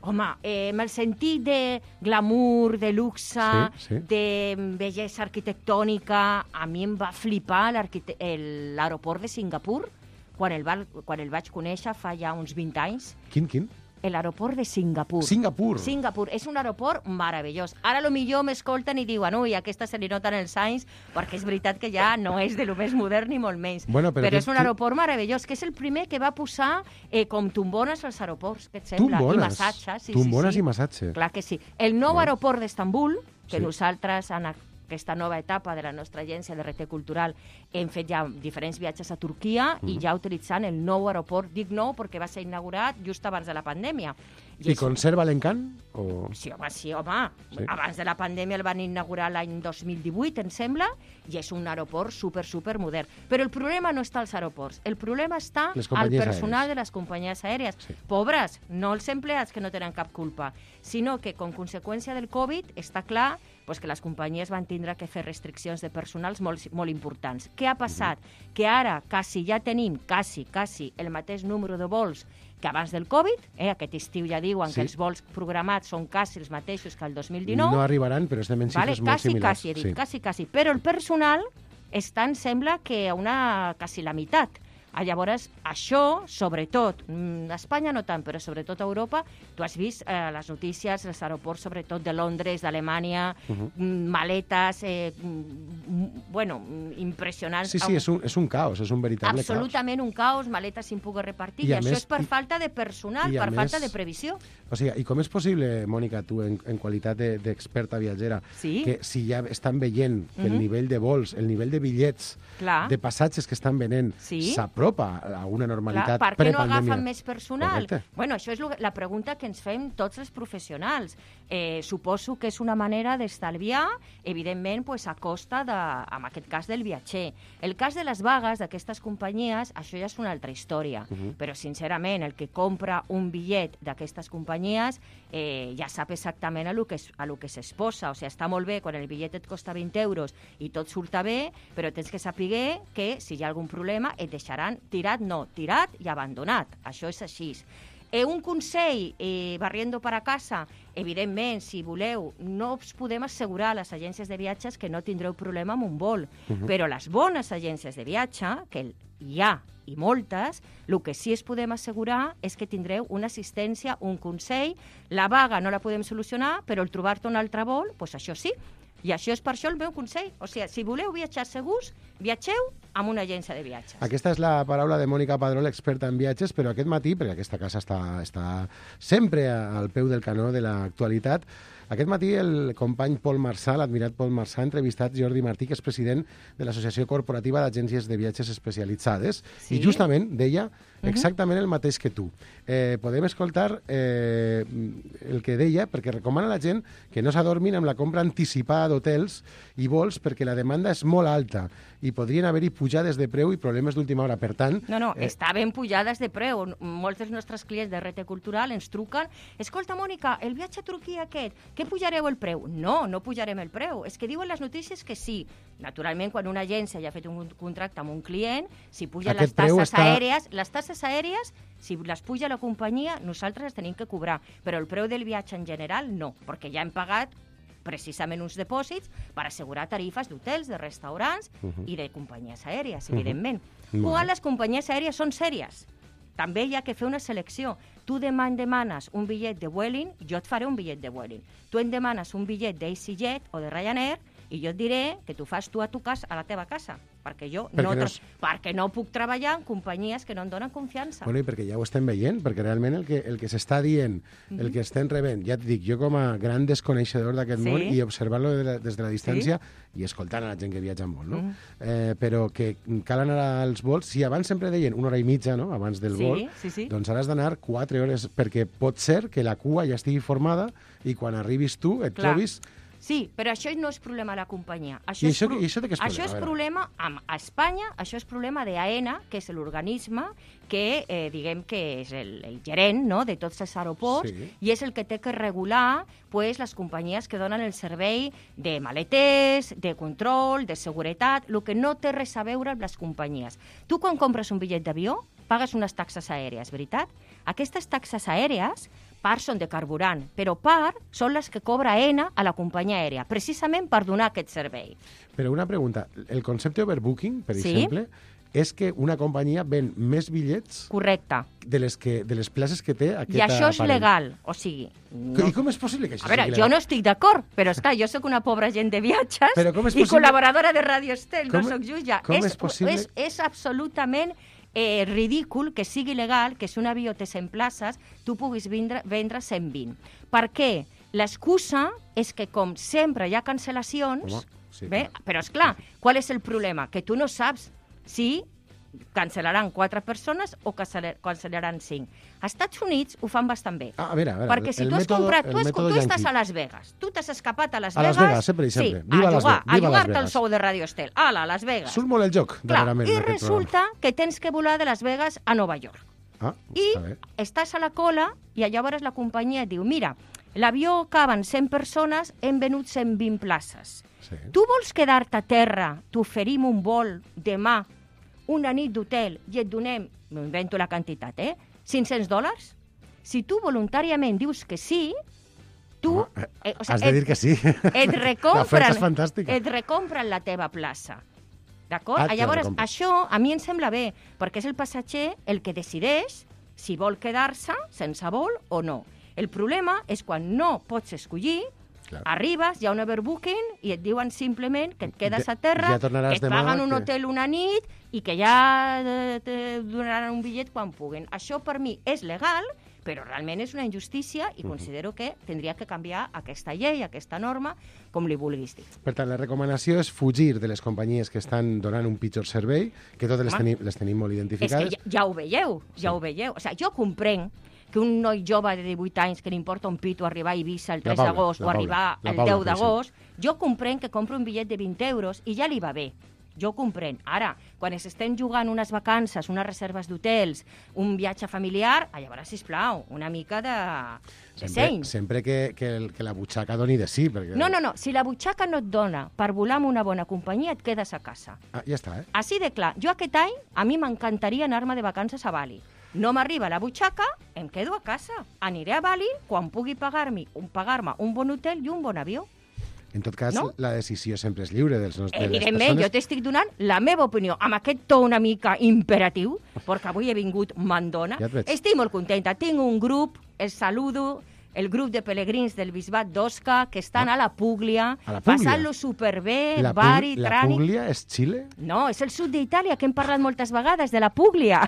H: Home, eh, amb el sentit de glamour, de luxe,
B: Sí, sí.
H: de bellesa arquitectònica, a mi em va flipar l'arquite- el- l'aeroport de Singapur, quan el, va, quan el vaig conèixer fa ja uns vint anys.
B: Quin, quin?
H: L'aeroport de Singapur.
B: Singapur.
H: Singapur. És un aeroport meravellós. Ara, lo millor m'escolten i diuen ui, aquesta se li noten els anys, perquè és veritat que ja no és de lo més modern ni molt menys.
B: Bueno, però
H: però
B: tu-
H: és un
B: tu-
H: aeroport meravellós, que és el primer que va posar eh, com tombones als aeroports, què et sembla? I
B: Tombones.
H: massatges. Sí,
B: Tombones
H: sí, sí.
B: i massatge.
H: Clar que sí. El nou
B: Bueno.
H: aeroport d'Estambul, que
B: Sí.
H: nosaltres en aquesta nova etapa de la nostra agència de R T Cultural hem fet ja diferents viatges a Turquia
B: Mhm.
H: i ja utilitzant el nou aeroport, dic nou perquè va ser inaugurat just abans de la pandèmia.
B: I
H: és-
B: conserva l'encant? O...
H: Sí, home, sí, home.
B: Sí.
H: Abans de la pandèmia el van inaugurar l'any dos mil divuit, em sembla, i és un aeroport super, super modern. Però el problema no està als aeroports, el problema està
B: Les
H: al
B: companyies
H: personal
B: aèries.
H: de les companyies aèries.
B: Sí.
H: Pobres, no els empleats que no tenen cap culpa, sinó que com conseqüència del Covid està clar pues, que les companyies van tindre que fer restriccions de personals molt, molt importants. Què ha passat? Uh-huh. Que ara quasi ja tenim, quasi, quasi, el mateix número de vols que abans del Covid, eh? Aquest estiu ja diuen
B: Sí.
H: que els vols programats són quasi els mateixos que el dos mil dinou.
B: No arribaran, però estem en
H: vale?
B: xifres molt
H: Quasi,
B: similars.
H: quasi, he dit,
B: sí.
H: quasi, quasi. Però el personal està, em sembla, que a una, quasi la meitat. Ah, Llavors, això, sobretot, mm, a Espanya no tant, però sobretot a Europa, tu has vist eh, les notícies, els aeroports, sobretot de Londres, d'Alemanya,
B: Uh -huh.
H: mm, maletes, eh, mm, bueno, mm, impressionants.
B: Sí, sí, és un, és un caos, és un veritable
H: Absolutament un caos, maletes sin poder repartir,
B: I
H: i,
B: a
H: això
B: més-
H: és per
B: i-
H: falta de personal,
B: i a
H: per falta
B: més-
H: de previsió.
B: caos. O sigui, i com és possible, Mònica, tu, en, en qualitat de- d'experta viatgera,
H: Sí.
B: que si ja estan veient que el
H: Mhm.
B: nivell de vols, el nivell de bitllets,
H: Clar.
B: de passatges que estan venent,
H: Sí.
B: s'apropa a una
H: Clar,
B: normalitat
H: per què no
B: prepandèmia?
H: agafen més personal?
B: Correcte.
H: Bueno, això és lo- la pregunta que ens fem tots els professionals. Eh, suposo que és una manera d'estalviar, evidentment, pues, a costa, de, en aquest cas, del viatger. El cas de les vagues d'aquestes companyies, això ja és una altra història.
B: Uh -huh.
H: Però, sincerament, el que compra un bitllet d'aquestes companyies eh, ja sap exactament a lo que, es- a lo que s'exposa. O sigui, està molt bé quan el bitllet et costa vint euros i tot surta bé, però tens que saber que si hi ha algun problema et deixaran tirat, no, tirat i abandonat. Això és així. Eh, un consell, eh, barriendo para casa, evidentment, si voleu, no us podem assegurar a les agències de viatges que no tindreu problema amb un vol,
B: Uh -huh.
H: però les bones agències de viatge, que hi ha i moltes, el que sí es podem assegurar és que tindreu una assistència, un consell. La vaga no la podem solucionar, però el trobar-te un altre vol, doncs això sí. I això és per això el meu consell. O sigui, si voleu viatjar segurs, viatgeu amb una agència de viatges.
B: Aquesta és la paraula de Mònica Padró, l'experta en viatges, però aquest matí, perquè aquesta casa està, està sempre al peu del canó de l'actualitat, aquest matí el company Pol Marçà, l'admirat Pol Marçà, ha entrevistat Jordi Martí, que és president de l'Associació Corporativa d'Agències de Viatges Especialitzades,
H: Sí.
B: i justament deia exactament el mateix que tu. Eh, podem escoltar eh, el que deia, perquè recomana a la gent que no s'adormin amb la compra anticipada d'hotels i vols, perquè la demanda és molt alta, i i podrien haver-hi pujades de preu i problemes d'última hora. Per tant...
H: No, no,
B: eh...
H: estaven pujades de preu. Molts dels nostres clients de R T Cultural ens truquen: escolta, Mònica, el viatge a Turquia aquest, què pujareu el preu? No, no pujarem el preu. És que diuen les notícies que sí. Naturalment, quan una agència ja ha fet un contracte amb un client, si pugen
B: Aquest
H: les tasses
B: està...
H: aèries, les tasses aèries, si les puja la companyia, nosaltres les tenim que cobrar. Però el preu del viatge en general, no, perquè ja hem pagat precisament uns dipòsits per assegurar tarifes d'hotels, de restaurants uh -huh. i de companyies aèries, evidentment. Uh -huh. Quan les companyies aèries són sèries, també hi ha que fer una selecció. Tu demà em demanes un bitllet de Vueling, jo et faré un bitllet de Vueling. Tu em demanes un bitllet d'EasyJet o de Ryanair i jo et diré que tu fas tu a tu casa, a la teva casa, perquè jo
B: perquè
H: no,
B: no,
H: és... perquè no puc treballar en companyies que no em donen confiança.
B: Bueno, i perquè ja ho estem veient, perquè realment el que, el que s'està dient, el
H: Mhm.
B: que estem rebent, ja et dic, jo com a gran desconeixedor d'aquest
H: Sí.
B: món i observar-lo de la, des de la distància
H: Sí.
B: i escoltant a la gent que viatja en vol, no?
H: Mhm.
B: eh, però que cal anar als vols, si abans sempre deien una hora i mitja, no?, abans del
H: Sí,
B: vol,
H: sí, sí.
B: doncs ara has d'anar quatre hores, perquè pot ser que la cua ja estigui formada i quan arribis tu et
H: Clar.
B: trobis...
H: Sí, però això no és problema de la companyia. Això
B: I
H: és
B: això-
H: pro-
B: i això de què és
H: Això
B: problema?
H: és
B: A veure.
H: problema amb, a Espanya, això és problema d'AENA, que és l'organisme que, eh, diguem que és el, el gerent, no?, de tots els aeroports,
B: Sí.
H: i és el que té que regular, pues, les companyies que donen el servei de maleters, de control, de seguretat, el que no té res a veure amb les companyies. Tu, quan compres un bitllet d'avió, pagues unes taxes aèries, veritat? Aquestes taxes aèries, part són de carburant, però part són les que cobra AENA a la companyia aèria, precisament per donar aquest servei.
B: Però una pregunta, el concepte overbooking, per
H: Sí.
B: exemple, és que una companyia ven més bitllets
H: Correcte.
B: de les, que, de les places que té aquest
H: I això és
B: aparell.
H: legal, o sigui...
B: No. I com és possible que això
H: A veure,
B: sigui
H: jo
B: legal?
H: no estic d'acord, però és clar, jo sóc una pobra gent de viatges
B: Però com és
H: i
B: possible-
H: col·laboradora de Radio Estel, no
B: Com-
H: sóc jutge.
B: com
H: és,
B: és possible-
H: És, és absolutament eh, ridícul que sigui legal que si un avió té cent places, tu puguis vendre, vendre cent vint. Per què? L'excusa és que, com sempre hi ha cancel·lacions,
B: Home, sí,
H: bé,
B: clar.
H: però és clar, qual és el problema? Que tu no saps si cancel·laran quatre persones o cancel·lar- cancel·laran cinc. Als Estats Units ho fan bastant bé.
B: Ah, a veure, a veure,
H: Perquè si
B: el
H: tu has
B: mètode-
H: comprat,
B: el
H: tu, has,
B: mètode
H: tu estàs
B: yanqui.
H: a Las Vegas, tu t'has escapat a Las
B: A Las
H: Vegas,
B: Vegas, sempre i sempre.
H: sí,
B: Viva
H: a
B: Las
H: jugar,
B: Ve- viva
H: a
B: Las
H: jugar-te al
B: Vegas.
H: sou de Radio Estel. Ala, a Las Vegas.
B: Surt molt el joc,
H: Clar,
B: darrerament,
H: i
B: d'aquest
H: resulta que tens que volar de Las Vegas a Nova York.
B: programa. Ah,
H: I
B: està bé.
H: estàs a la cola i llavors la companyia et diu: mira, l'avió caben cent persones, hem venut cent vint places.
B: Sí.
H: Tu vols quedar-te a terra, t'oferim un vol demà, una nit d'hotel, i et donem, m'invento la quantitat, eh? cinc-cents dòlars? Si tu voluntàriament dius que sí, tu...
B: Home,
H: eh, o
B: Has de dir que sí.
H: et
B: L'oferta
H: recompren,
B: és fantàstica.
H: et recompren la teva plaça. D'acord?
B: Ah, te la
H: Llavors,
B: recompren.
H: això a mi em sembla bé, perquè és el passatger el que decideix si vol quedar-se sense vol o no. El problema és quan no pots escollir,
B: Clar.
H: arribes, hi ha un overbooking i et diuen simplement que et quedes
B: Ja-
H: a terra,
B: ja tornaràs
H: que et
B: demà,
H: paguen un
B: que-
H: hotel una nit i que ja eh, te donaran un bitllet quan puguen. Això per mi és legal, però realment és una injustícia i considero que tindria que canviar aquesta llei, aquesta norma, com li vulguis dir.
B: Per tant, la recomanació és fugir de les companyies que estan donant un pitjor servei, que totes les
H: Home.
B: tenim, les tenim molt
H: És
B: identificades.
H: que ja, ja ho veieu, ja
B: Sí.
H: ho veieu. O sigui, jo comprenc que un noi jove de divuit anys que li importa un pito arribar a Eivissa el
B: La
H: tres
B: Paula,
H: d'agost
B: la
H: o
B: Paula,
H: arribar
B: la
H: el
B: Paula,
H: deu
B: per
H: d'agost, jo comprenc que compri un bitllet de vint euros i ja li va bé. Jo comprenc. Ara, quan s'estem jugant unes vacances, unes reserves d'hotels, un viatge familiar, a llavors, sisplau, una mica de, de
B: Sempre,
H: seny.
B: sempre que, que, el, que la butxaca doni de sí. Perquè...
H: No, no, no. Si la butxaca no et dona per volar amb una bona companyia, et quedes a casa.
B: Ah, ja està, eh?
H: Així de clar. Jo aquest any, a mi m'encantaria anar-me de vacances a Bali. No m'arriba la butxaca, em quedo a casa. Aniré a Bali quan pugui pagar-me un, pagar-me un bon hotel i un bon avió.
B: En tot cas,
H: No?
B: la decisió sempre és lliure dels nostres, de les
H: Evidentment,
B: persones.
H: jo t'estic donant la meva opinió, amb aquest to una mica imperatiu, perquè avui he vingut mandona.
B: Ja et veig.
H: Estic molt contenta. Tinc un grup, el saludo, el grup de pelegrins del Bisbat d'Osca, que estan a la Púglia,
B: A la Púglia?
H: passant-lo superbé,
B: La,
H: bari,
B: Pug- la
H: trànic...
B: Puglia és Xile?
H: No, és el sud d'Itàlia, que hem parlat moltes vegades, de la Púglia.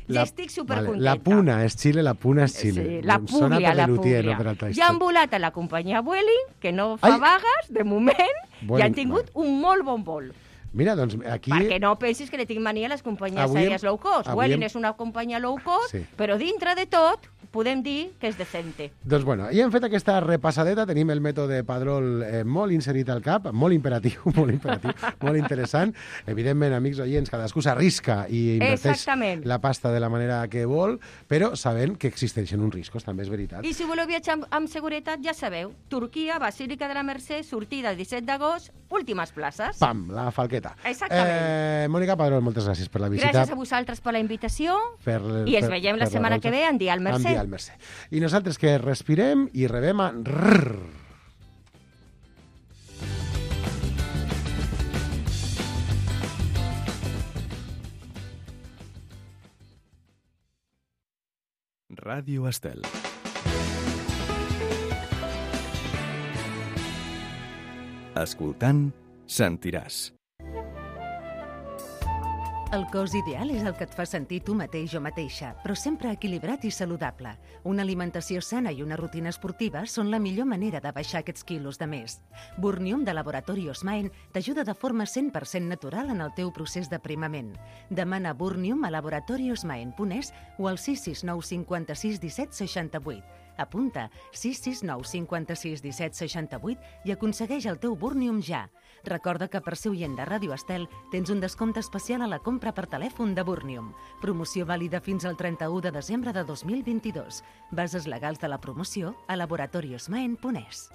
H: I
B: La-
H: estic supercontenta.
B: La Puna és Xile, la Puna és Xile.
H: Sí, la
B: Em sona
H: Púglia,
B: per
H: la
B: Lelutier,
H: Púglia.
B: no per altra
H: Ja han
B: història.
H: volat a la companyia Vueling, que no fa
B: Ai!
H: vagues, de moment, i
B: Vueling,
H: han tingut un molt bon vol.
B: Mira, doncs aquí...
H: Perquè no pensis que li tinc mania a les companyies
B: Avui hem-
H: aèries low cost.
B: avui
H: Vueling
B: hem-
H: és una companyia low cost,
B: Sí.
H: però dintre de tot podem dir que és decente.
B: Doncs bueno, i hem fet aquesta repassadeta, tenim el mètode Padrol eh, molt inserit al cap, molt imperatiu, molt imperatiu, molt interessant. Evidentment, amics oients, cadascú s'arrisca i inverteix
H: Exactament.
B: la pasta de la manera que vol, però sabent que existeixen uns riscos, també és veritat.
H: I si voleu viatjar amb, amb seguretat, ja sabeu, Turquia, Basílica de la Mercè, sortida disset d'agost, últimes places.
B: Pam, la falqueta.
H: Exactament.
B: Eh, Mònica Padrol, moltes gràcies per la visita.
H: Gràcies a vosaltres per la invitació
B: Per,
H: i ens
B: per,
H: veiem la
B: per
H: setmana
B: rosa.
H: que ve en Dia al Mercè.
B: En Dia al Mercè. I nosaltres que respirem i rebem a... Rrr.
A: Ràdio Estel. Escoltant, sentiràs.
C: El cos ideal és el que et fa sentir tu mateix o mateixa, però sempre equilibrat i saludable. Una alimentació sana i una rutina esportiva són la millor manera de baixar aquests quilos de més. Burnium de Laboratori Osmaen t'ajuda de forma cent per cent natural en el teu procés d'aprimament. Demana Burnium a laboratori osmaen punt es o al sis sis nou cinquanta-sis disset seixanta-vuit. Apunta sis sis nou cinquanta-sis disset seixanta-vuit i aconsegueix el teu Burnium ja. Recorda que per ser oient de Ràdio Estel tens un descompte especial a la compra per telèfon de Burnium. Promoció vàlida fins al trenta-u de desembre de dos mil vint-i-dos. Bases legals de la promoció a laboratori osmaen punt es.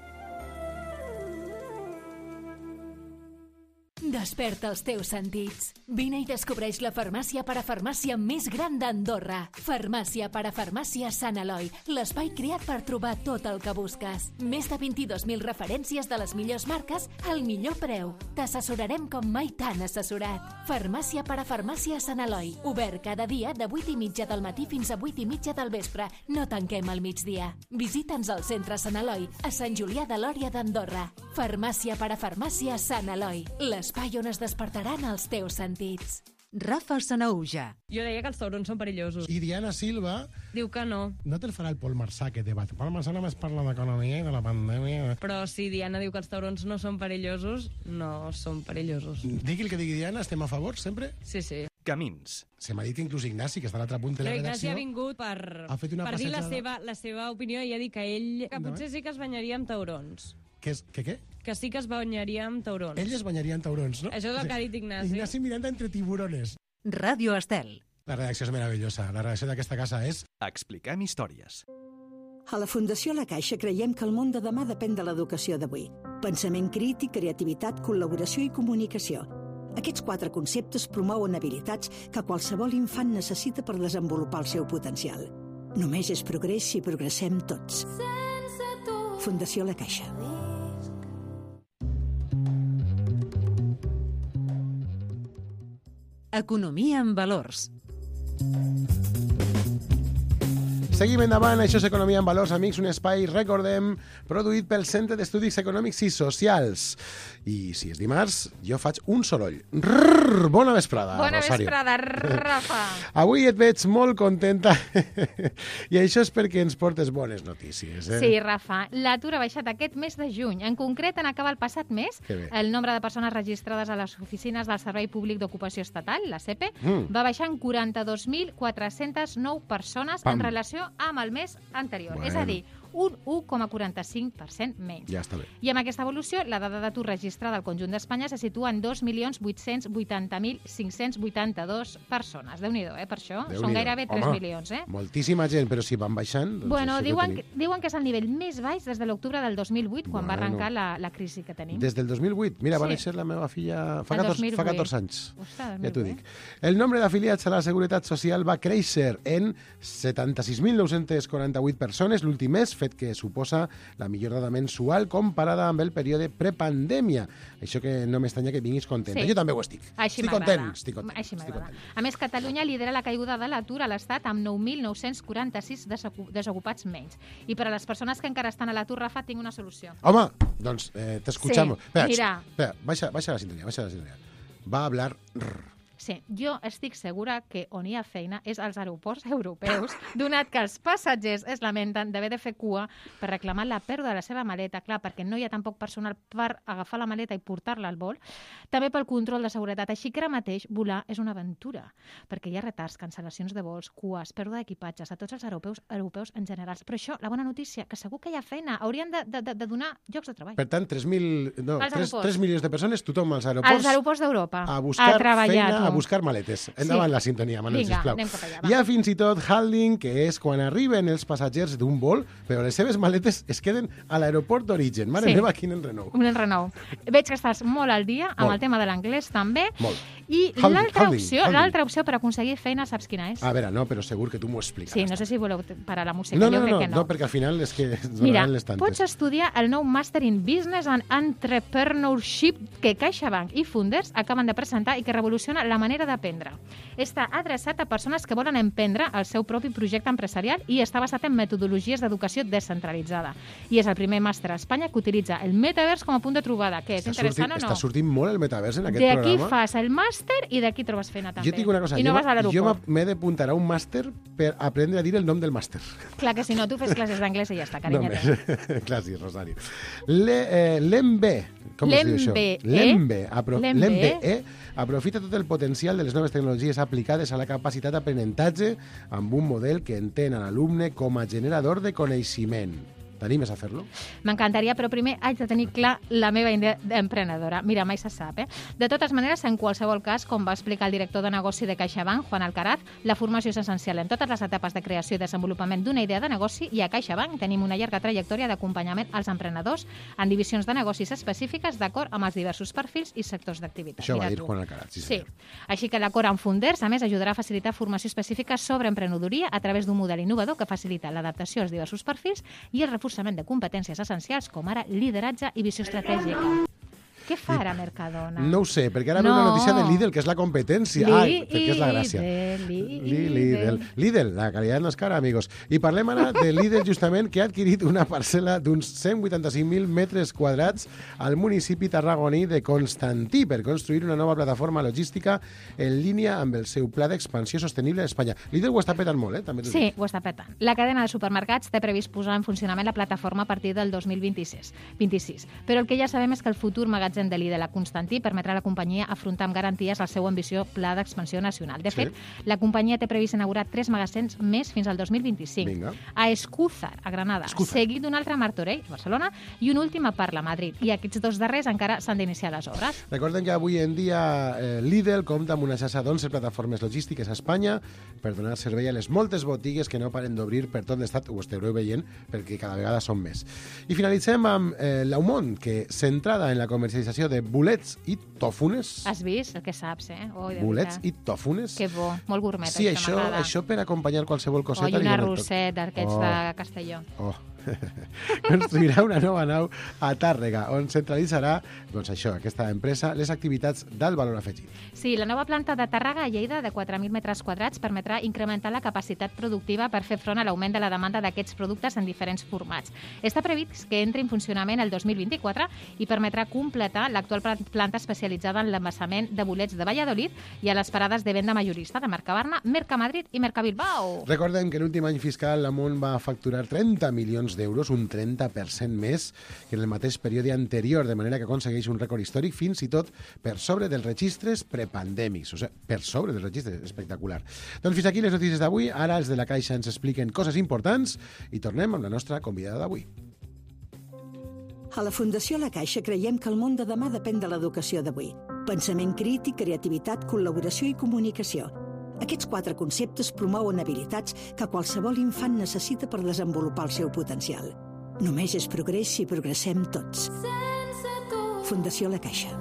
I: Desperta els teus sentits. Vine i descobreix la farmàcia parafarmàcia més gran d'Andorra. Farmàcia parafarmàcia Sant Eloi, l'espai creat per trobar tot el que busques. Més de vint-i-dos mil referències de les millors marques al millor preu. T'assessorarem com mai t'han assessorat. Farmàcia parafarmàcia Sant Eloi, obert cada dia de vuit i mitja del matí fins a vuit i mitja del vespre. No tanquem al migdia. Visita'ns al centre Sant Eloi, a Sant Julià de Lòria d'Andorra. Farmàcia parafarmàcia Sant Eloi, l'espai on es despertaran els teus sentits.
C: Rafa Sanauja.
J: Jo deia que els taurons són perillosos.
B: I Diana Silva...
J: Diu que no.
B: No te'l farà el Pol Marsà, que debat. Pol Marsà només parla d'economia i de la pandèmia.
J: Però si Diana diu que els taurons no són perillosos, no són perillosos.
B: Digui el que digui Diana, estem a favor, sempre?
J: Sí, sí.
A: Camins.
B: Se m'ha dit inclús Ignasi, que està a l'altre punt de la
J: Però Ignasi
B: redacció.
J: ha vingut per,
B: Ha fet una
J: per dir la
B: passejada.
J: seva, la seva opinió i ha dit que ell que
B: Endavant.
J: potser sí que es banyaria amb taurons.
B: Que, és, que què?
J: Que sí que es banyaria amb taurons.
B: Ell es banyaria en taurons, no?
J: Això és el que ha dit Ignasi.
B: Ignasi Miranda entre tiburones.
C: Ràdio Estel.
B: La redacció és meravellosa. La redacció d'aquesta casa és...
A: Expliquem històries.
K: A la Fundació La Caixa creiem que el món de demà depèn de l'educació d'avui. Pensament crític, creativitat, col·laboració i comunicació. Aquests quatre conceptes promouen habilitats que qualsevol infant necessita per desenvolupar el seu potencial. Només és progrés si progressem tots. Fundació La Caixa.
C: Economia en valors.
B: Seguim endavant, això és Economia en Valors, amics, un espai, recordem, produït pel Centre d'Estudis Econòmics i Socials. I si és dimarts, jo faig un soroll. Rrrr, bona vesprada,
L: Bona
B: Rosario.
L: vesprada, Rafa.
B: Avui et veig molt contenta i això és perquè ens portes bones notícies. Eh?
L: Sí, Rafa, l'atur ha baixat aquest mes de juny. En concret, en acabar el passat mes,
B: Que bé.
L: el nombre de persones registrades a les oficines del Servei Públic d'Ocupació Estatal, la S E P E,
B: Mm.
L: va baixar en quaranta-dos mil quatre-cents nou persones
B: Pam.
L: en relació amb el mes anterior.
B: Bueno.
L: És a dir, un u coma quaranta-cinc per cent menys.
B: Ja està bé.
L: I amb aquesta evolució, la dada d'atur registrada al conjunt d'Espanya se situa en dos milions vuit-cents vuitanta mil cinc-cents vuitanta-dos persones. Déu-n'hi-do, eh, per això.
B: Déu-n'hi-do.
L: Són gairebé tres
B: Home,
L: milions, eh?
B: Moltíssima gent, però si van baixant... Doncs
L: Bueno,
B: això que
L: diuen
B: tenim.
L: que, diuen que és el nivell més baix des de l'octubre del dos mil vuit, quan
B: Bueno.
L: va arrencar la, la crisi que tenim.
B: Des del dos mil vuit. Mira, va
L: Sí.
B: néixer la meva filla fa
L: El
B: catorze,
L: dos mil vuit.
B: fa catorze anys.
L: Ostres,
B: Ja
L: molt
B: t'ho
L: bé.
B: dic. El nombre d'afiliats a la Seguretat Social va créixer en setanta-sis mil nou-cents quaranta-vuit persones l'últim mes, fet que suposa la millor dada mensual comparada amb el període prepandèmia. Això que no m'estranya que vinguis contenta.
L: Sí.
B: Jo també ho estic.
L: Així
B: estic
L: m'agrada.
B: content, estic content.
L: Així
B: estic
L: m'agrada.
B: content.
L: A més, Catalunya lidera la caiguda de l'atur a l'Estat amb nou mil nou-cents quaranta-sis desocu- desocupats menys. I per a les persones que encara estan a l'atur, Rafa, tinc una solució.
B: Home, doncs eh, t'escuchamos.
L: Sí,
B: espera,
L: mira.
B: Espera, baixa, baixa la sintonia, baixa la sintonia. Va a hablar... Rrr.
L: Sí, jo estic segura que on hi ha feina és als aeroports europeus, donat que els passatgers es lamenten d'haver de fer cua per reclamar la pèrdua de la seva maleta, clar, perquè no hi ha tampoc personal per agafar la maleta i portar-la al vol, també pel control de seguretat. Així que ara mateix volar és una aventura, perquè hi ha retards, cancel·lacions de vols, cues, pèrdua d'equipatges a tots els europeus, europeus en general. Però això, la bona notícia, que segur que hi ha feina, haurien de, de, de donar llocs de treball.
B: Per tant, tres mil, no,
L: Als
B: tres,
L: aeroports.
B: tres milions de persones, tothom als aeroports,
L: Als aeroports d'Europa,
B: a buscar
L: a treballar,
B: feina,
L: tu.
B: a buscar maletes. Endavant
L: Sí.
B: la sintonia, Manel,
L: Vinga,
B: sisplau.
L: anem cap allà, va.
B: Hi ha fins i tot handling, que és quan arriben els passatgers d'un vol, però les seves maletes es queden a l'aeroport d'origen. Mare
L: Sí.
B: meva, quin enrenou.
L: Un enrenou. Veig que estàs molt al dia amb
B: Molt.
L: el tema de l'anglès també.
B: Molt.
L: I
B: Handling,
L: l'altra
B: handling,
L: opció,
B: handling.
L: l'altra opció per aconseguir feina, saps quina és?
B: A veure, no, però segur que tu m'ho explicaràs.
L: Sí, no sé si voleu parar la música,
B: No,
L: jo
B: no,
L: crec
B: no,
L: que
B: no,
L: no.
B: no, perquè al final és que ens
L: Mira,
B: donaran les tantes.
L: pots estudiar el nou Master in Business and Entrepreneurship que CaixaBank i Funders acaben de presentar i que revoluciona la manera d'aprendre. Està adreçat a persones que volen emprendre el seu propi projecte empresarial i està basat en metodologies d'educació descentralitzada. I és el primer màster a Espanya que utilitza el metavers com a punt de trobada. Què, és
B: Està
L: interessant
B: sortint,
L: o no?
B: està sortint molt el metavers en aquest
L: D'aquí
B: programa.
L: fas el màster i d'aquí trobes feina també.
B: Jo et dic una cosa,
L: I no
B: jo,
L: vas a
B: m'ha- jo
L: l'aeroport.
B: m'he d'apuntar a un màster per aprendre a dir el nom del màster.
L: Clar que si no, tu fes classes d'anglès i ja està, carinyeta.
B: Només. Clar, sí, Rosario. Le, eh, L'EMBE, com es diu això?
L: L'EMBE.
B: L'EMBE. Apro
L: L'EMBE.
B: L'EMBE aprofita tot el potencial de les noves tecnologies aplicades a la capacitat d'aprenentatge amb un model que entén a l'alumne com a generador de coneixement. T'animes a fer-lo?
L: M'encantaria, però primer haig de tenir clar la meva idea d'emprenedora. Mira, mai se sap, eh? De totes maneres, en qualsevol cas, com va explicar el director de negoci de CaixaBank, Juan Alcaraz, la formació és essencial en totes les etapes de creació i desenvolupament d'una idea de negoci i a CaixaBank tenim una llarga trajectòria d'acompanyament als emprenedors en divisions de negocis específiques d'acord amb els diversos perfils i sectors d'activitat.
B: Això va
L: Mira
B: dir
L: tu.
B: Juan Alcaraz, sí,
L: Sí.
B: senyor.
L: Així que l'acord amb Funders, a més, ajudarà a facilitar formació específica sobre emprenedoria a través d'un model innovador que facilita l'adaptació als diversos perfils i el reforçament de competències essencials com ara lideratge i visió estratègica. Què fa ara Mercadona?
B: No ho sé, perquè ara
L: No.
B: ve una notícia de Lidl, que és la competència. Ai, perquè és la gràcia.
L: Lidl,
B: Li- Lidl. Lidl, la calidad no es cara, amigos. I parlem ara de Lidl, justament, que ha adquirit una parcel·la d'uns cent vuitanta-cinc mil metres quadrats al municipi tarragoní de Constantí per construir una nova plataforma logística en línia amb el seu pla d'expansió sostenible a Espanya. Lidl ho està petant molt, eh? També t'ho
L: Sí,
B: dic.
L: ho està petant. La cadena de supermercats té previst posar en funcionament la plataforma a partir del dos mil vint-i-sis. vint-i-sis. Però el que ja sabem és que el futur magatzem de Lidl a Constantí permetrà a la companyia afrontar amb garanties el seu ambiciós pla d'expansió nacional. De
B: Sí.
L: fet, la companyia té previst inaugurar tres magatzems més fins al dos mil vint-i-cinc.
B: Vinga.
L: A Escúzar, a Granada,
B: Escúzar.
L: seguit d'un altre a Martorell, a Barcelona, i un últim a Parla, a Madrid. I aquests dos darrers encara s'han d'iniciar les obres.
B: Recordem que avui en dia eh, Lidl compta amb una xarxa d'onze plataformes logístiques a Espanya per donar servei a les moltes botigues que no paren d'obrir per tot l'estat, ho estareu veient, perquè cada vegada són més. I finalitzem amb eh, l'Aumont, que centrada en la comercialització de bolets i tòfones.
L: Has vist el que saps, eh? Oi, de
B: Bolets
L: veritat.
B: i tòfones.
L: Que bo, molt gourmet,
B: Sí, això,
L: m'agrada.
B: això per acompanyar qualsevol coseta.
L: Oi,
B: li
L: una
B: dona el toc.
L: rosset d'aquests
B: Oh.
L: de Castelló.
B: Oh. Construirà una nova nau a Tàrrega, on centralitzarà, doncs això, aquesta empresa, les activitats d'alt valor afegit.
L: Sí, la nova planta de Tàrrega a Lleida de quatre mil metres quadrats permetrà incrementar la capacitat productiva per fer front a l'augment de la demanda d'aquests productes en diferents formats. Està previst que entri en funcionament el dos mil vint-i-quatre i permetrà completar l'actual pla- planta especialitzada en l'embassament de bolets de Valladolid i a les parades de venda majorista de Mercabarna, Mercamadrid i Mercabilbao.
B: Recordem que l'últim any fiscal l'Amunt va facturar trenta milions d'euros, un trenta per cent més que en el mateix període anterior, de manera que aconsegueix un rècord històric fins i tot per sobre dels registres prepandèmics. O sigui, per sobre dels registres, espectacular. Doncs fins aquí les notícies d'avui. Ara els de la Caixa ens expliquen coses importants i tornem amb la nostra convidada d'avui.
K: A la Fundació La Caixa creiem que el món de demà depèn de l'educació d'avui. Pensament crític, creativitat, col·laboració i comunicació. Aquests quatre conceptes promouen habilitats que qualsevol infant necessita per desenvolupar el seu potencial. Només és progrés si progressem tots. Fundació La Caixa.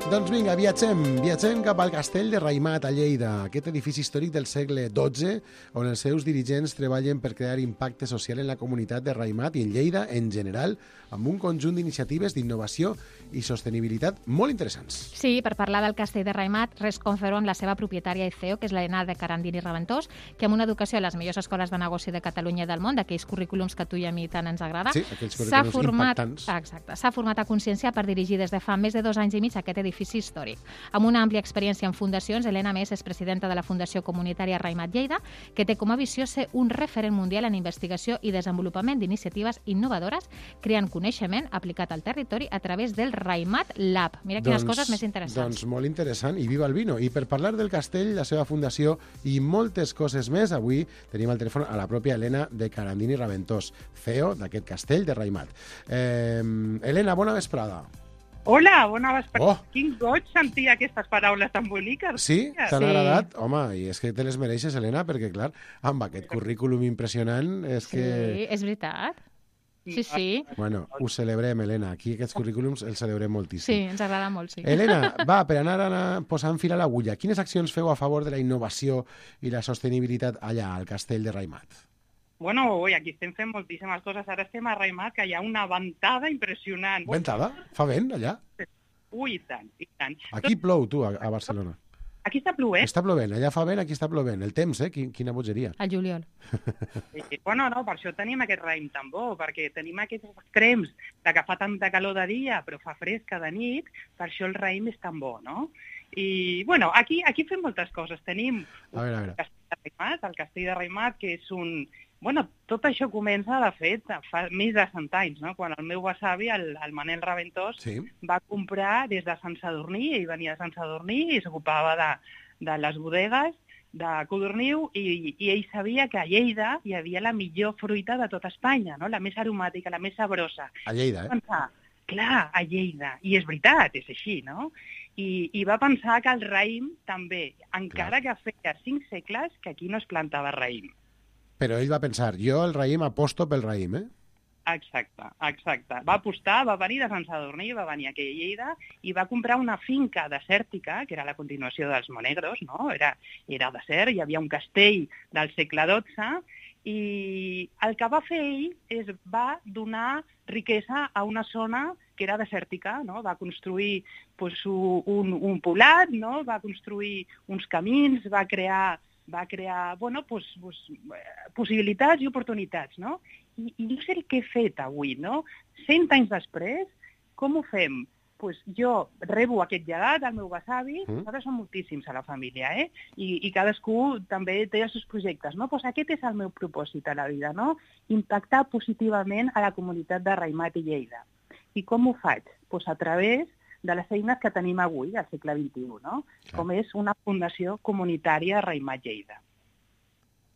B: Doncs vinga, viatgem. Viatgem cap al castell de Raïmat, a Lleida, aquest edifici històric del segle dotze, on els seus dirigents treballen per crear impacte social en la comunitat de Raïmat i en Lleida en general, amb un conjunt d'iniciatives d'innovació i sostenibilitat molt interessants.
L: Sí, per parlar del castell de Raïmat, res confero amb la seva propietària i C E O, que és l'Helena de Carandini Raventós, que amb una educació a les millors escoles de negoci de Catalunya i del món, d'aquells currículums que a tu i a mi tant ens agrada,
B: sí, aquells currículums
L: format,
B: impactants.
L: Exacte, s'ha format a consciència per dirigir des de fa més de dos anys i mig aquest edifici històric. Amb una àmplia experiència en fundacions, Helena Més és presidenta de la Fundació Comunitària Raïmat Lleida, que té com a visió ser un referent mundial en investigació i desenvolupament d'iniciatives innovadores, creant coneixement aplicat al territori a través del Raïmat Lab. Mira quines
B: doncs,
L: coses més interessants.
B: Doncs molt interessant, i viva el vino. I per parlar del castell, la seva fundació i moltes coses més, avui tenim al telèfon a la pròpia Helena de Carandini Raventós, C E O d'aquest castell de Raïmat. Eh, Helena, bona vesprada.
M: Hola, bona vesprada.
B: Oh.
M: Quin goig sentir aquestes paraules tan boniques.
B: Sí? T'han
M: Sí.
B: agradat? Home, i és que te les mereixes, Helena, perquè, clar, amb aquest currículum impressionant és
L: Sí,
B: que...
L: és veritat. Sí, sí.
B: Bueno, ho celebrem, Helena. Aquí aquests currículums els celebrem moltíssim.
L: Sí, ens agrada molt, sí.
B: Helena, va, per anar a posar en fil a l'agulla, quines accions feu a favor de la innovació i la sostenibilitat allà, al castell de Raïmat?
M: Bueno, ui, aquí estem fent moltíssimes coses. Ara estem a Raïmat, que hi ha una ventada impressionant.
B: Ventada? Fa vent, allà?
M: Ui, i tant, i tant.
B: Aquí plou, tu, a, a Barcelona.
M: Aquí està plovent.
B: Està plovent, allà fa vent, aquí està plovent. El temps, eh? Quin- Quina bogeria.
L: Al juliol.
M: I, bueno, no, per això tenim aquest raïm tan bo, perquè tenim aquests extrems de que fa tanta calor de dia, però fa fresca de nit, per això el raïm és tan bo, no? I, bueno, aquí, aquí fem moltes coses. Tenim
B: A veure, a veure.
M: el castell de Raïmat, el castell de Raïmat, que és un... Bueno, tot això comença, de fet, fa més de cent anys, no? Quan el meu besavi, el, el Manel Raventós,
B: Sí.
M: va comprar des de Sant Sadurní, ell venia de Sant Sadurní i s'ocupava de, de les bodegues de Codorniu i, i ell sabia que a Lleida hi havia la millor fruita de tota Espanya, no? La més aromàtica, la més sabrosa.
B: A Lleida, eh?
M: Va pensar, clar, a Lleida. I és veritat, és així, no? I, i va pensar que el raïm també, encara que feia cinc segles que aquí no es plantava raïm.
B: Però ell va pensar, jo el raïm aposto pel raïm, eh?
M: Exacte, exacte. Va apostar, va venir de Sant Sadurní, va venir aquí a Lleida i va comprar una finca desèrtica, que era la continuació dels Monegros, no? Era, era desert, hi havia un castell del segle dotze, i el que va fer ell és va donar riquesa a una zona que era desèrtica, no? Va construir pues, un, un poblat, no? Va construir uns camins, va crear va crear bueno, pues, pues, possibilitats i oportunitats, no? I, I no sé el que he fet avui, no? Cent anys després, com ho fem? Pues jo rebo aquest llegat al meu besavi,
B: Mm.
M: nosaltres som moltíssims a la família, eh? I, i cadascú també té els seus projectes, no? Pues aquest és el meu propòsit a la vida, no? Impactar positivament a la comunitat de Raïmat i Lleida. I com ho faig? Pues a través de les eines que tenim avui, al segle vint-i-u, no?
B: Clar.
M: Com és una fundació comunitària Raïmat Lleida.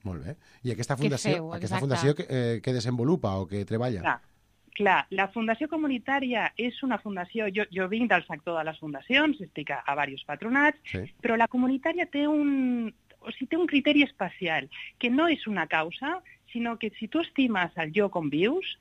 B: Molt bé. I aquesta
M: Què
B: fundació,
M: feu,
B: aquesta
M: exacte?
B: fundació que, eh, que desenvolupa o que treballa?
M: Clar, clar, la fundació comunitària és una fundació, jo, jo vinc del sector de les fundacions, estic a, a diversos patronats,
B: Sí.
M: però la comunitària té un, o sigui, té un criteri especial, que no és una causa, sinó que si tu estimes el lloc on vius,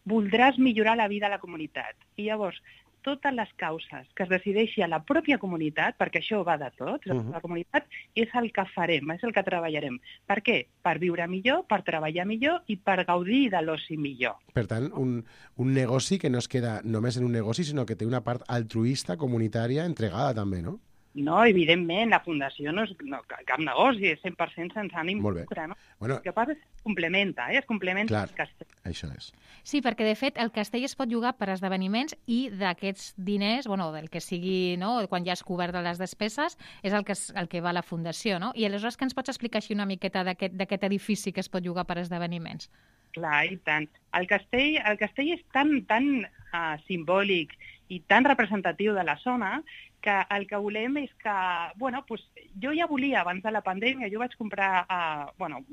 M: voldràs millorar la vida a la comunitat. I llavors, totes les causes que es decideixi a la pròpia comunitat, perquè això va de tot,
B: Mhm.
M: la comunitat és el que farem, és el que treballarem. Per què? Per viure millor, per treballar millor i per gaudir de l'oci millor.
B: Per tant, un, un negoci que no es queda només en un negoci, sinó que té una part altruista, comunitària, entregada també, no?
M: No, evidentment, la fundació no és no, cap negoci, és cent per cent sense ànim
B: Molt bé.
M: lucre, no?
B: Bueno,
M: El que passa és que es complementa, eh? Es complementa
B: Clar.
M: el castell.
B: això és.
L: Sí, perquè de fet el castell es pot llogar per esdeveniments i d'aquests diners, bueno, del que sigui, no, quan ja has cobert de les despeses, és el que, es, el que va a la fundació, no? I aleshores que ens pots explicar així una miqueta d'aquest d'aquest edifici que es pot llogar per esdeveniments?
M: Clar, i tant. El castell, el castell és tan, tan uh, simbòlic i tan representatiu de la zona que el que volem és que, bueno, pues, jo ja volia, abans de la pandèmia, jo vaig comprar uh, bueno,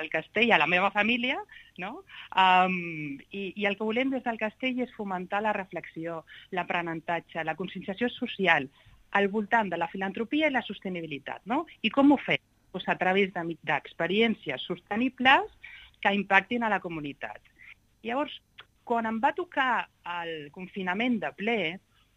M: el castell a la meva família, no? Um, i, I el que volem des del castell és fomentar la reflexió, l'aprenentatge, la conscienciació social al voltant de la filantropia i la sostenibilitat, no? I com ho fem? Pues a través de- d'experiències sostenibles que impactin a la comunitat. Llavors, quan em va tocar el confinament de ple,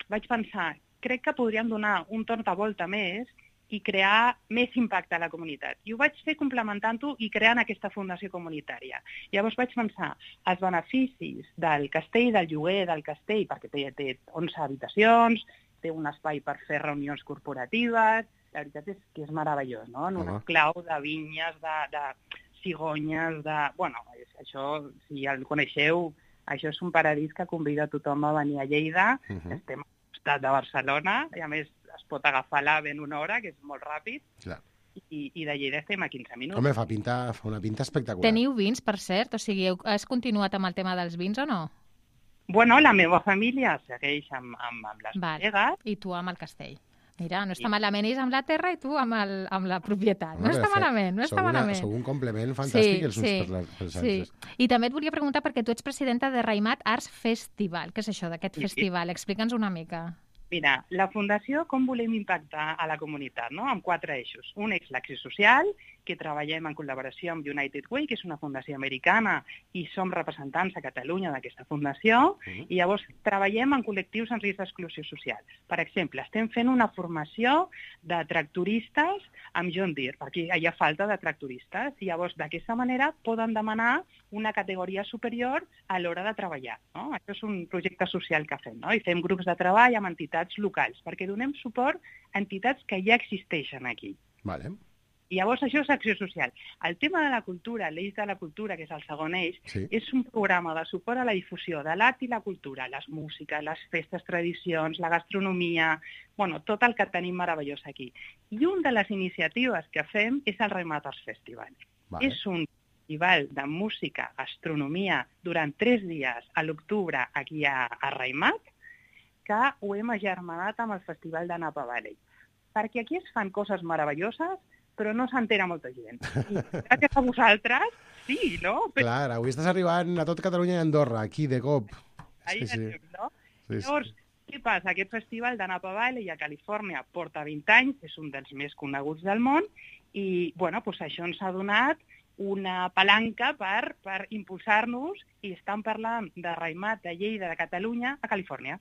M: vaig pensar crec que podríem donar un torn de volta més i crear més impacte a la comunitat. I ho vaig fer complementant-ho i creant aquesta fundació comunitària. Llavors vaig pensar els beneficis del castell, del lloguer del castell, perquè té, té onze habitacions, té un espai per fer reunions corporatives, la veritat és que és meravellós, no? En un
B: Home.
M: esclau de vinyes, de, de cigonyes, de... Bueno, això, si el coneixeu, això és un paradís que convida tothom a venir a Lleida.
B: Uh -huh.
M: Estem al costat de Barcelona, i a més es pot agafar l'AVE en una hora, que és molt ràpid,
B: Clar.
M: i, i de Lleida estem a quinze minuts.
B: Home, fa, pinta, fa una pinta espectacular.
L: Teniu vins, per cert? O sigui, heu- has continuat amb el tema dels vins o no?
M: Bueno, la meva família segueix amb, amb, amb les
L: Val.
M: bodegues.
L: I tu amb el castell. Mira, no està malament, ells amb la terra i tu amb, el, amb la propietat. No
B: Home,
L: està
B: de fet,
L: malament, no
B: sou
L: està
B: una-
L: malament.
B: Sou un complement fantàstic els uns per la- pels
L: sí.
B: altres.
L: I també et volia preguntar, perquè tu ets presidenta de Raimat Arts Festival. Què és això d'aquest
M: Sí.
L: festival? Explica'ns una mica.
M: Mira, la Fundació, com volem impactar a la comunitat, no? Amb quatre eixos. Un és l'acció social, que treballem en col·laboració amb United Way, que és una fundació americana, i som representants a Catalunya d'aquesta fundació,
N: Mhm.
M: i llavors treballem en col·lectius en risc d'exclusió social. Per exemple, estem fent una formació de tractoristes amb John Deere, perquè hi ha falta de tractoristes, i llavors d'aquesta manera poden demanar una categoria superior a l'hora de treballar, no? Això és un projecte social que fem, no? I fem grups de treball amb entitats locals, perquè donem suport a entitats que ja existeixen aquí.
B: Vale.
M: I llavors això és acció social. El tema de la cultura, l'eix de la cultura, que és el segon eix,
B: Sí.
M: és un programa de suport a la difusió de l'art i la cultura, les músiques, les festes, tradicions, la gastronomia, bueno, tot el que tenim meravellós aquí. I una de les iniciatives que fem és el Raimat Arts Festival.
B: Vale.
M: És un festival de música, gastronomia, durant tres dies a l'octubre aquí a, a Raimat, que ho hem agermanat amb el Festival de Napa Valley. Perquè aquí es fan coses meravelloses, però no s'entera molta gent. I gràcies a vosaltres, sí, no? Però
B: Clar, avui estàs arribant a tot Catalunya i Andorra, aquí, de cop.
M: ahí
B: Sí, sí.
M: anem, no?
B: Sí, sí.
M: Llavors, què passa? Aquest festival de Napa Valley a Califòrnia porta vint anys, és un dels més coneguts del món, i bueno, doncs això ens ha donat una palanca per, per impulsar-nos, i estan parlant de Raimat, de Lleida, de Catalunya, a Califòrnia.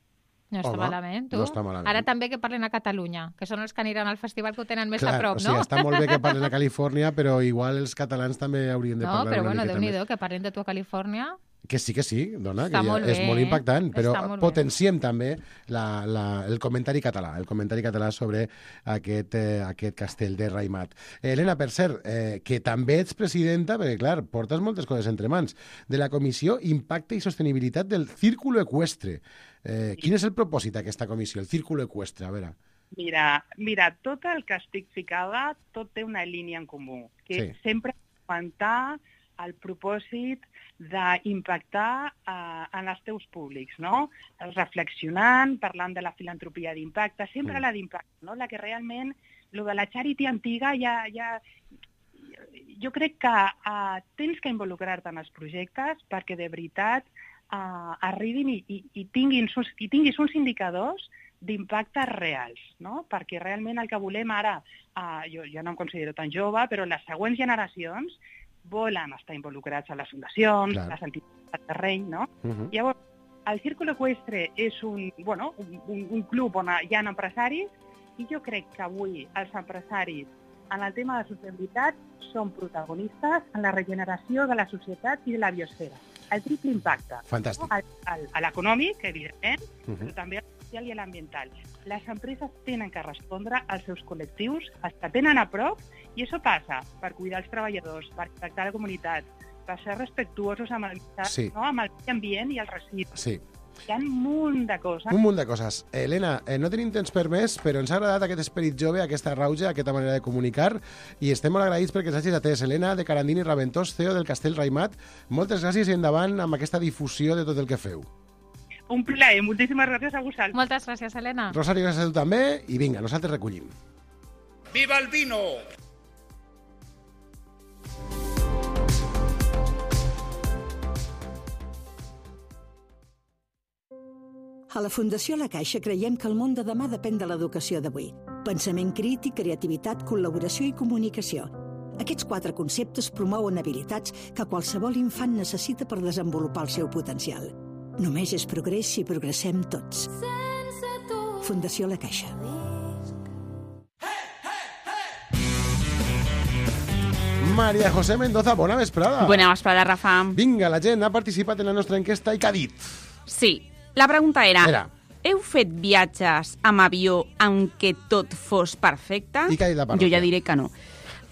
L: No està
B: Home,
L: malament, tu.
B: no està malament.
L: Ara també que parlen a Catalunya, que són els que aniran al festival que ho tenen més
B: Clar,
L: a prop,
B: o sigui,
L: no?
B: està molt bé que parlen a Califòrnia, però igual els catalans també haurien de
L: No,
B: parlar
L: però
B: una
L: bueno,
B: miqueta més.
L: Déu-n'hi-do, que parlen de tu a Califòrnia.
B: Que sí, que sí, dona,
L: Està
B: que ja
L: molt
B: és
L: bé,
B: molt
L: eh?
B: impactant, però
L: Està molt bé.
B: potenciem també la, la, el comentari català, el comentari català sobre aquest, eh, aquest castell de Raimat. Eh, Helena, per cert, eh, que també ets presidenta, perquè clar, portes moltes coses entre mans, de la Comissió Impacte i Sostenibilitat del Círculo Ecuestre. Eh, quin és el propòsit d'aquesta comissió, el Círculo Ecuestre? A veure.
M: Mira, mira, tot el que estic ficada, tot té una línia en comú, que
B: Sí.
M: és sempre augmentar el propòsit d'impactar eh, en els teus públics, no? Reflexionant, parlant de la filantropia d'impacte, sempre
N: Mm.
M: la d'impacte, no? La que realment, lo de la charity antiga ja... ja jo crec que eh, tens que involucrar-te en els projectes perquè de veritat eh, arribin i, i, i, tinguin, i tinguis uns indicadors d'impactes reals, no? Perquè realment el que volem ara, eh, jo, jo no em considero tan jove, però les següents generacions volen estar involucrats a les fundacions,
B: Clar.
M: les entitats del terreny, no?
B: Uh-huh.
M: Llavors, el Círculo Ecuestre és un, bueno, un, un, un club on hi ha empresaris, i jo crec que avui els empresaris en el tema de sostenibilitat són protagonistes en la regeneració de la societat i de la biosfera. El triple impacte.
B: Fantàstic.
M: No? El, el, a l'econòmic, evidentment,
B: Uh-huh.
M: però també al social i a l'ambiental. Les empreses tenen que respondre als seus col·lectius, els que tenen a prop, i això passa per cuidar els treballadors, per tractar la comunitat, per ser respectuosos amb el,
B: Sí.
M: no? amb el medi ambient i el residus.
B: Sí.
M: Hi ha un munt de coses.
B: Un munt de coses. Helena, eh, no tenim temps per més, però ens ha agradat aquest esperit jove, aquesta rauja, aquesta manera de comunicar, i estem molt agraïts perquè ens hagis atès. Helena, de Carandini Raventós, C E O del Castell Raimat, moltes gràcies i endavant amb aquesta difusió de tot el que feu.
M: Un plaer, moltíssimes gràcies a vosaltres.
L: Moltes gràcies, Helena.
B: Rosario, gràcies a tu també, i vinga, nosaltres recollim.
O: ¡Viva el vino!
K: A la Fundació La Caixa creiem que el món de demà depèn de l'educació d'avui. Pensament crític, creativitat, col·laboració i comunicació. Aquests quatre conceptes promouen habilitats que qualsevol infant necessita per desenvolupar el seu potencial. Només és progrés si progressem tots. Fundació La Caixa.
B: María José Mendoza, bona vesprada.
N: Bona vesprada, Rafa.
B: Vinga, la gent ha participat en la nostra enquesta i què ha dit?
N: Sí, la pregunta era...
B: Era.
N: Heu fet viatges amb avió en què tot fos perfecte?
B: I què ha dit la parròquia?
N: Jo ja diré que no.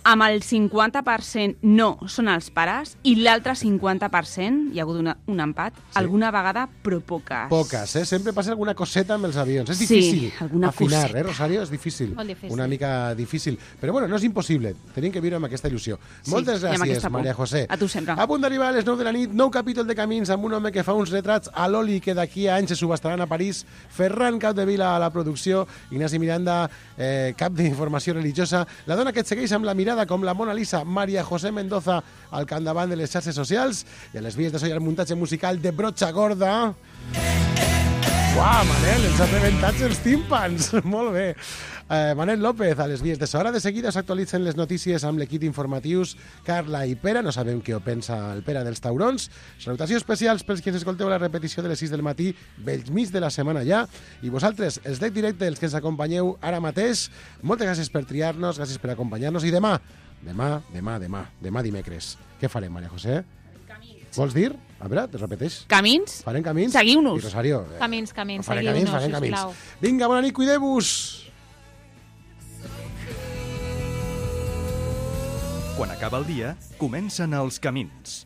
N: Amb el cinquanta per cent no són els pares i l'altre cinquanta per cent, hi ha hagut una, un empat, sí. Alguna vegada, però poques.
B: Poques, eh? Sempre passa alguna coseta amb els avions. És
N: Sí,
B: difícil
N: alguna
B: afinar,
N: coseta.
B: eh, Rosario? És difícil.
L: Molt difícil.
B: Una mica difícil. Però bueno, no és impossible. Tenim que viure amb aquesta il·lusió.
N: Sí,
B: Moltes
N: i amb
B: gràcies,
N: aquesta por.
B: Maria José.
N: A tu sempre.
B: A punt d'arribar a les nou de la nit, nou capítol de Camins amb un home que fa uns retrats a l'oli que d'aquí a anys se subastaran a París, Ferran Capdevila a la producció, Ignasi Miranda, eh, cap d'informació religiosa, la dona que et segueix amb la mirada com la Mona Lisa, Maria José Mendoza, al capdavant de les xarxes socials, i a les vies de so i el muntatge musical de Brocha Gorda. Uau, Manel, ens ha rebentat els tímpans. Molt bé. Eh, Manel López, a les vies de so. Ara de seguida s'actualitzen les notícies amb l'equip informatius Carla i Pere. No sabem què ho pensa el Pere dels taurons. Salutacions especials pels que ens escolteu la repetició de les sis del matí, bell mig de la setmana ja. I vosaltres, els dec directe, els que ens acompanyeu ara mateix, moltes gràcies per triar-nos, gràcies per acompanyar-nos. I demà, demà, demà, demà, demà dimecres, què farem, Maria José? Camins. Vols dir? A veure, te repeteix.
N: Camins?
B: Farem camins?
N: Seguiu-nos.
B: I Rosario, eh,
L: Camins, camins,
B: farem
L: seguiu-nos,
B: camins, farem camins.
L: sisplau.
B: Vinga, bona nit, cuideu-vos!
A: Quan acaba el dia, comencen els camins.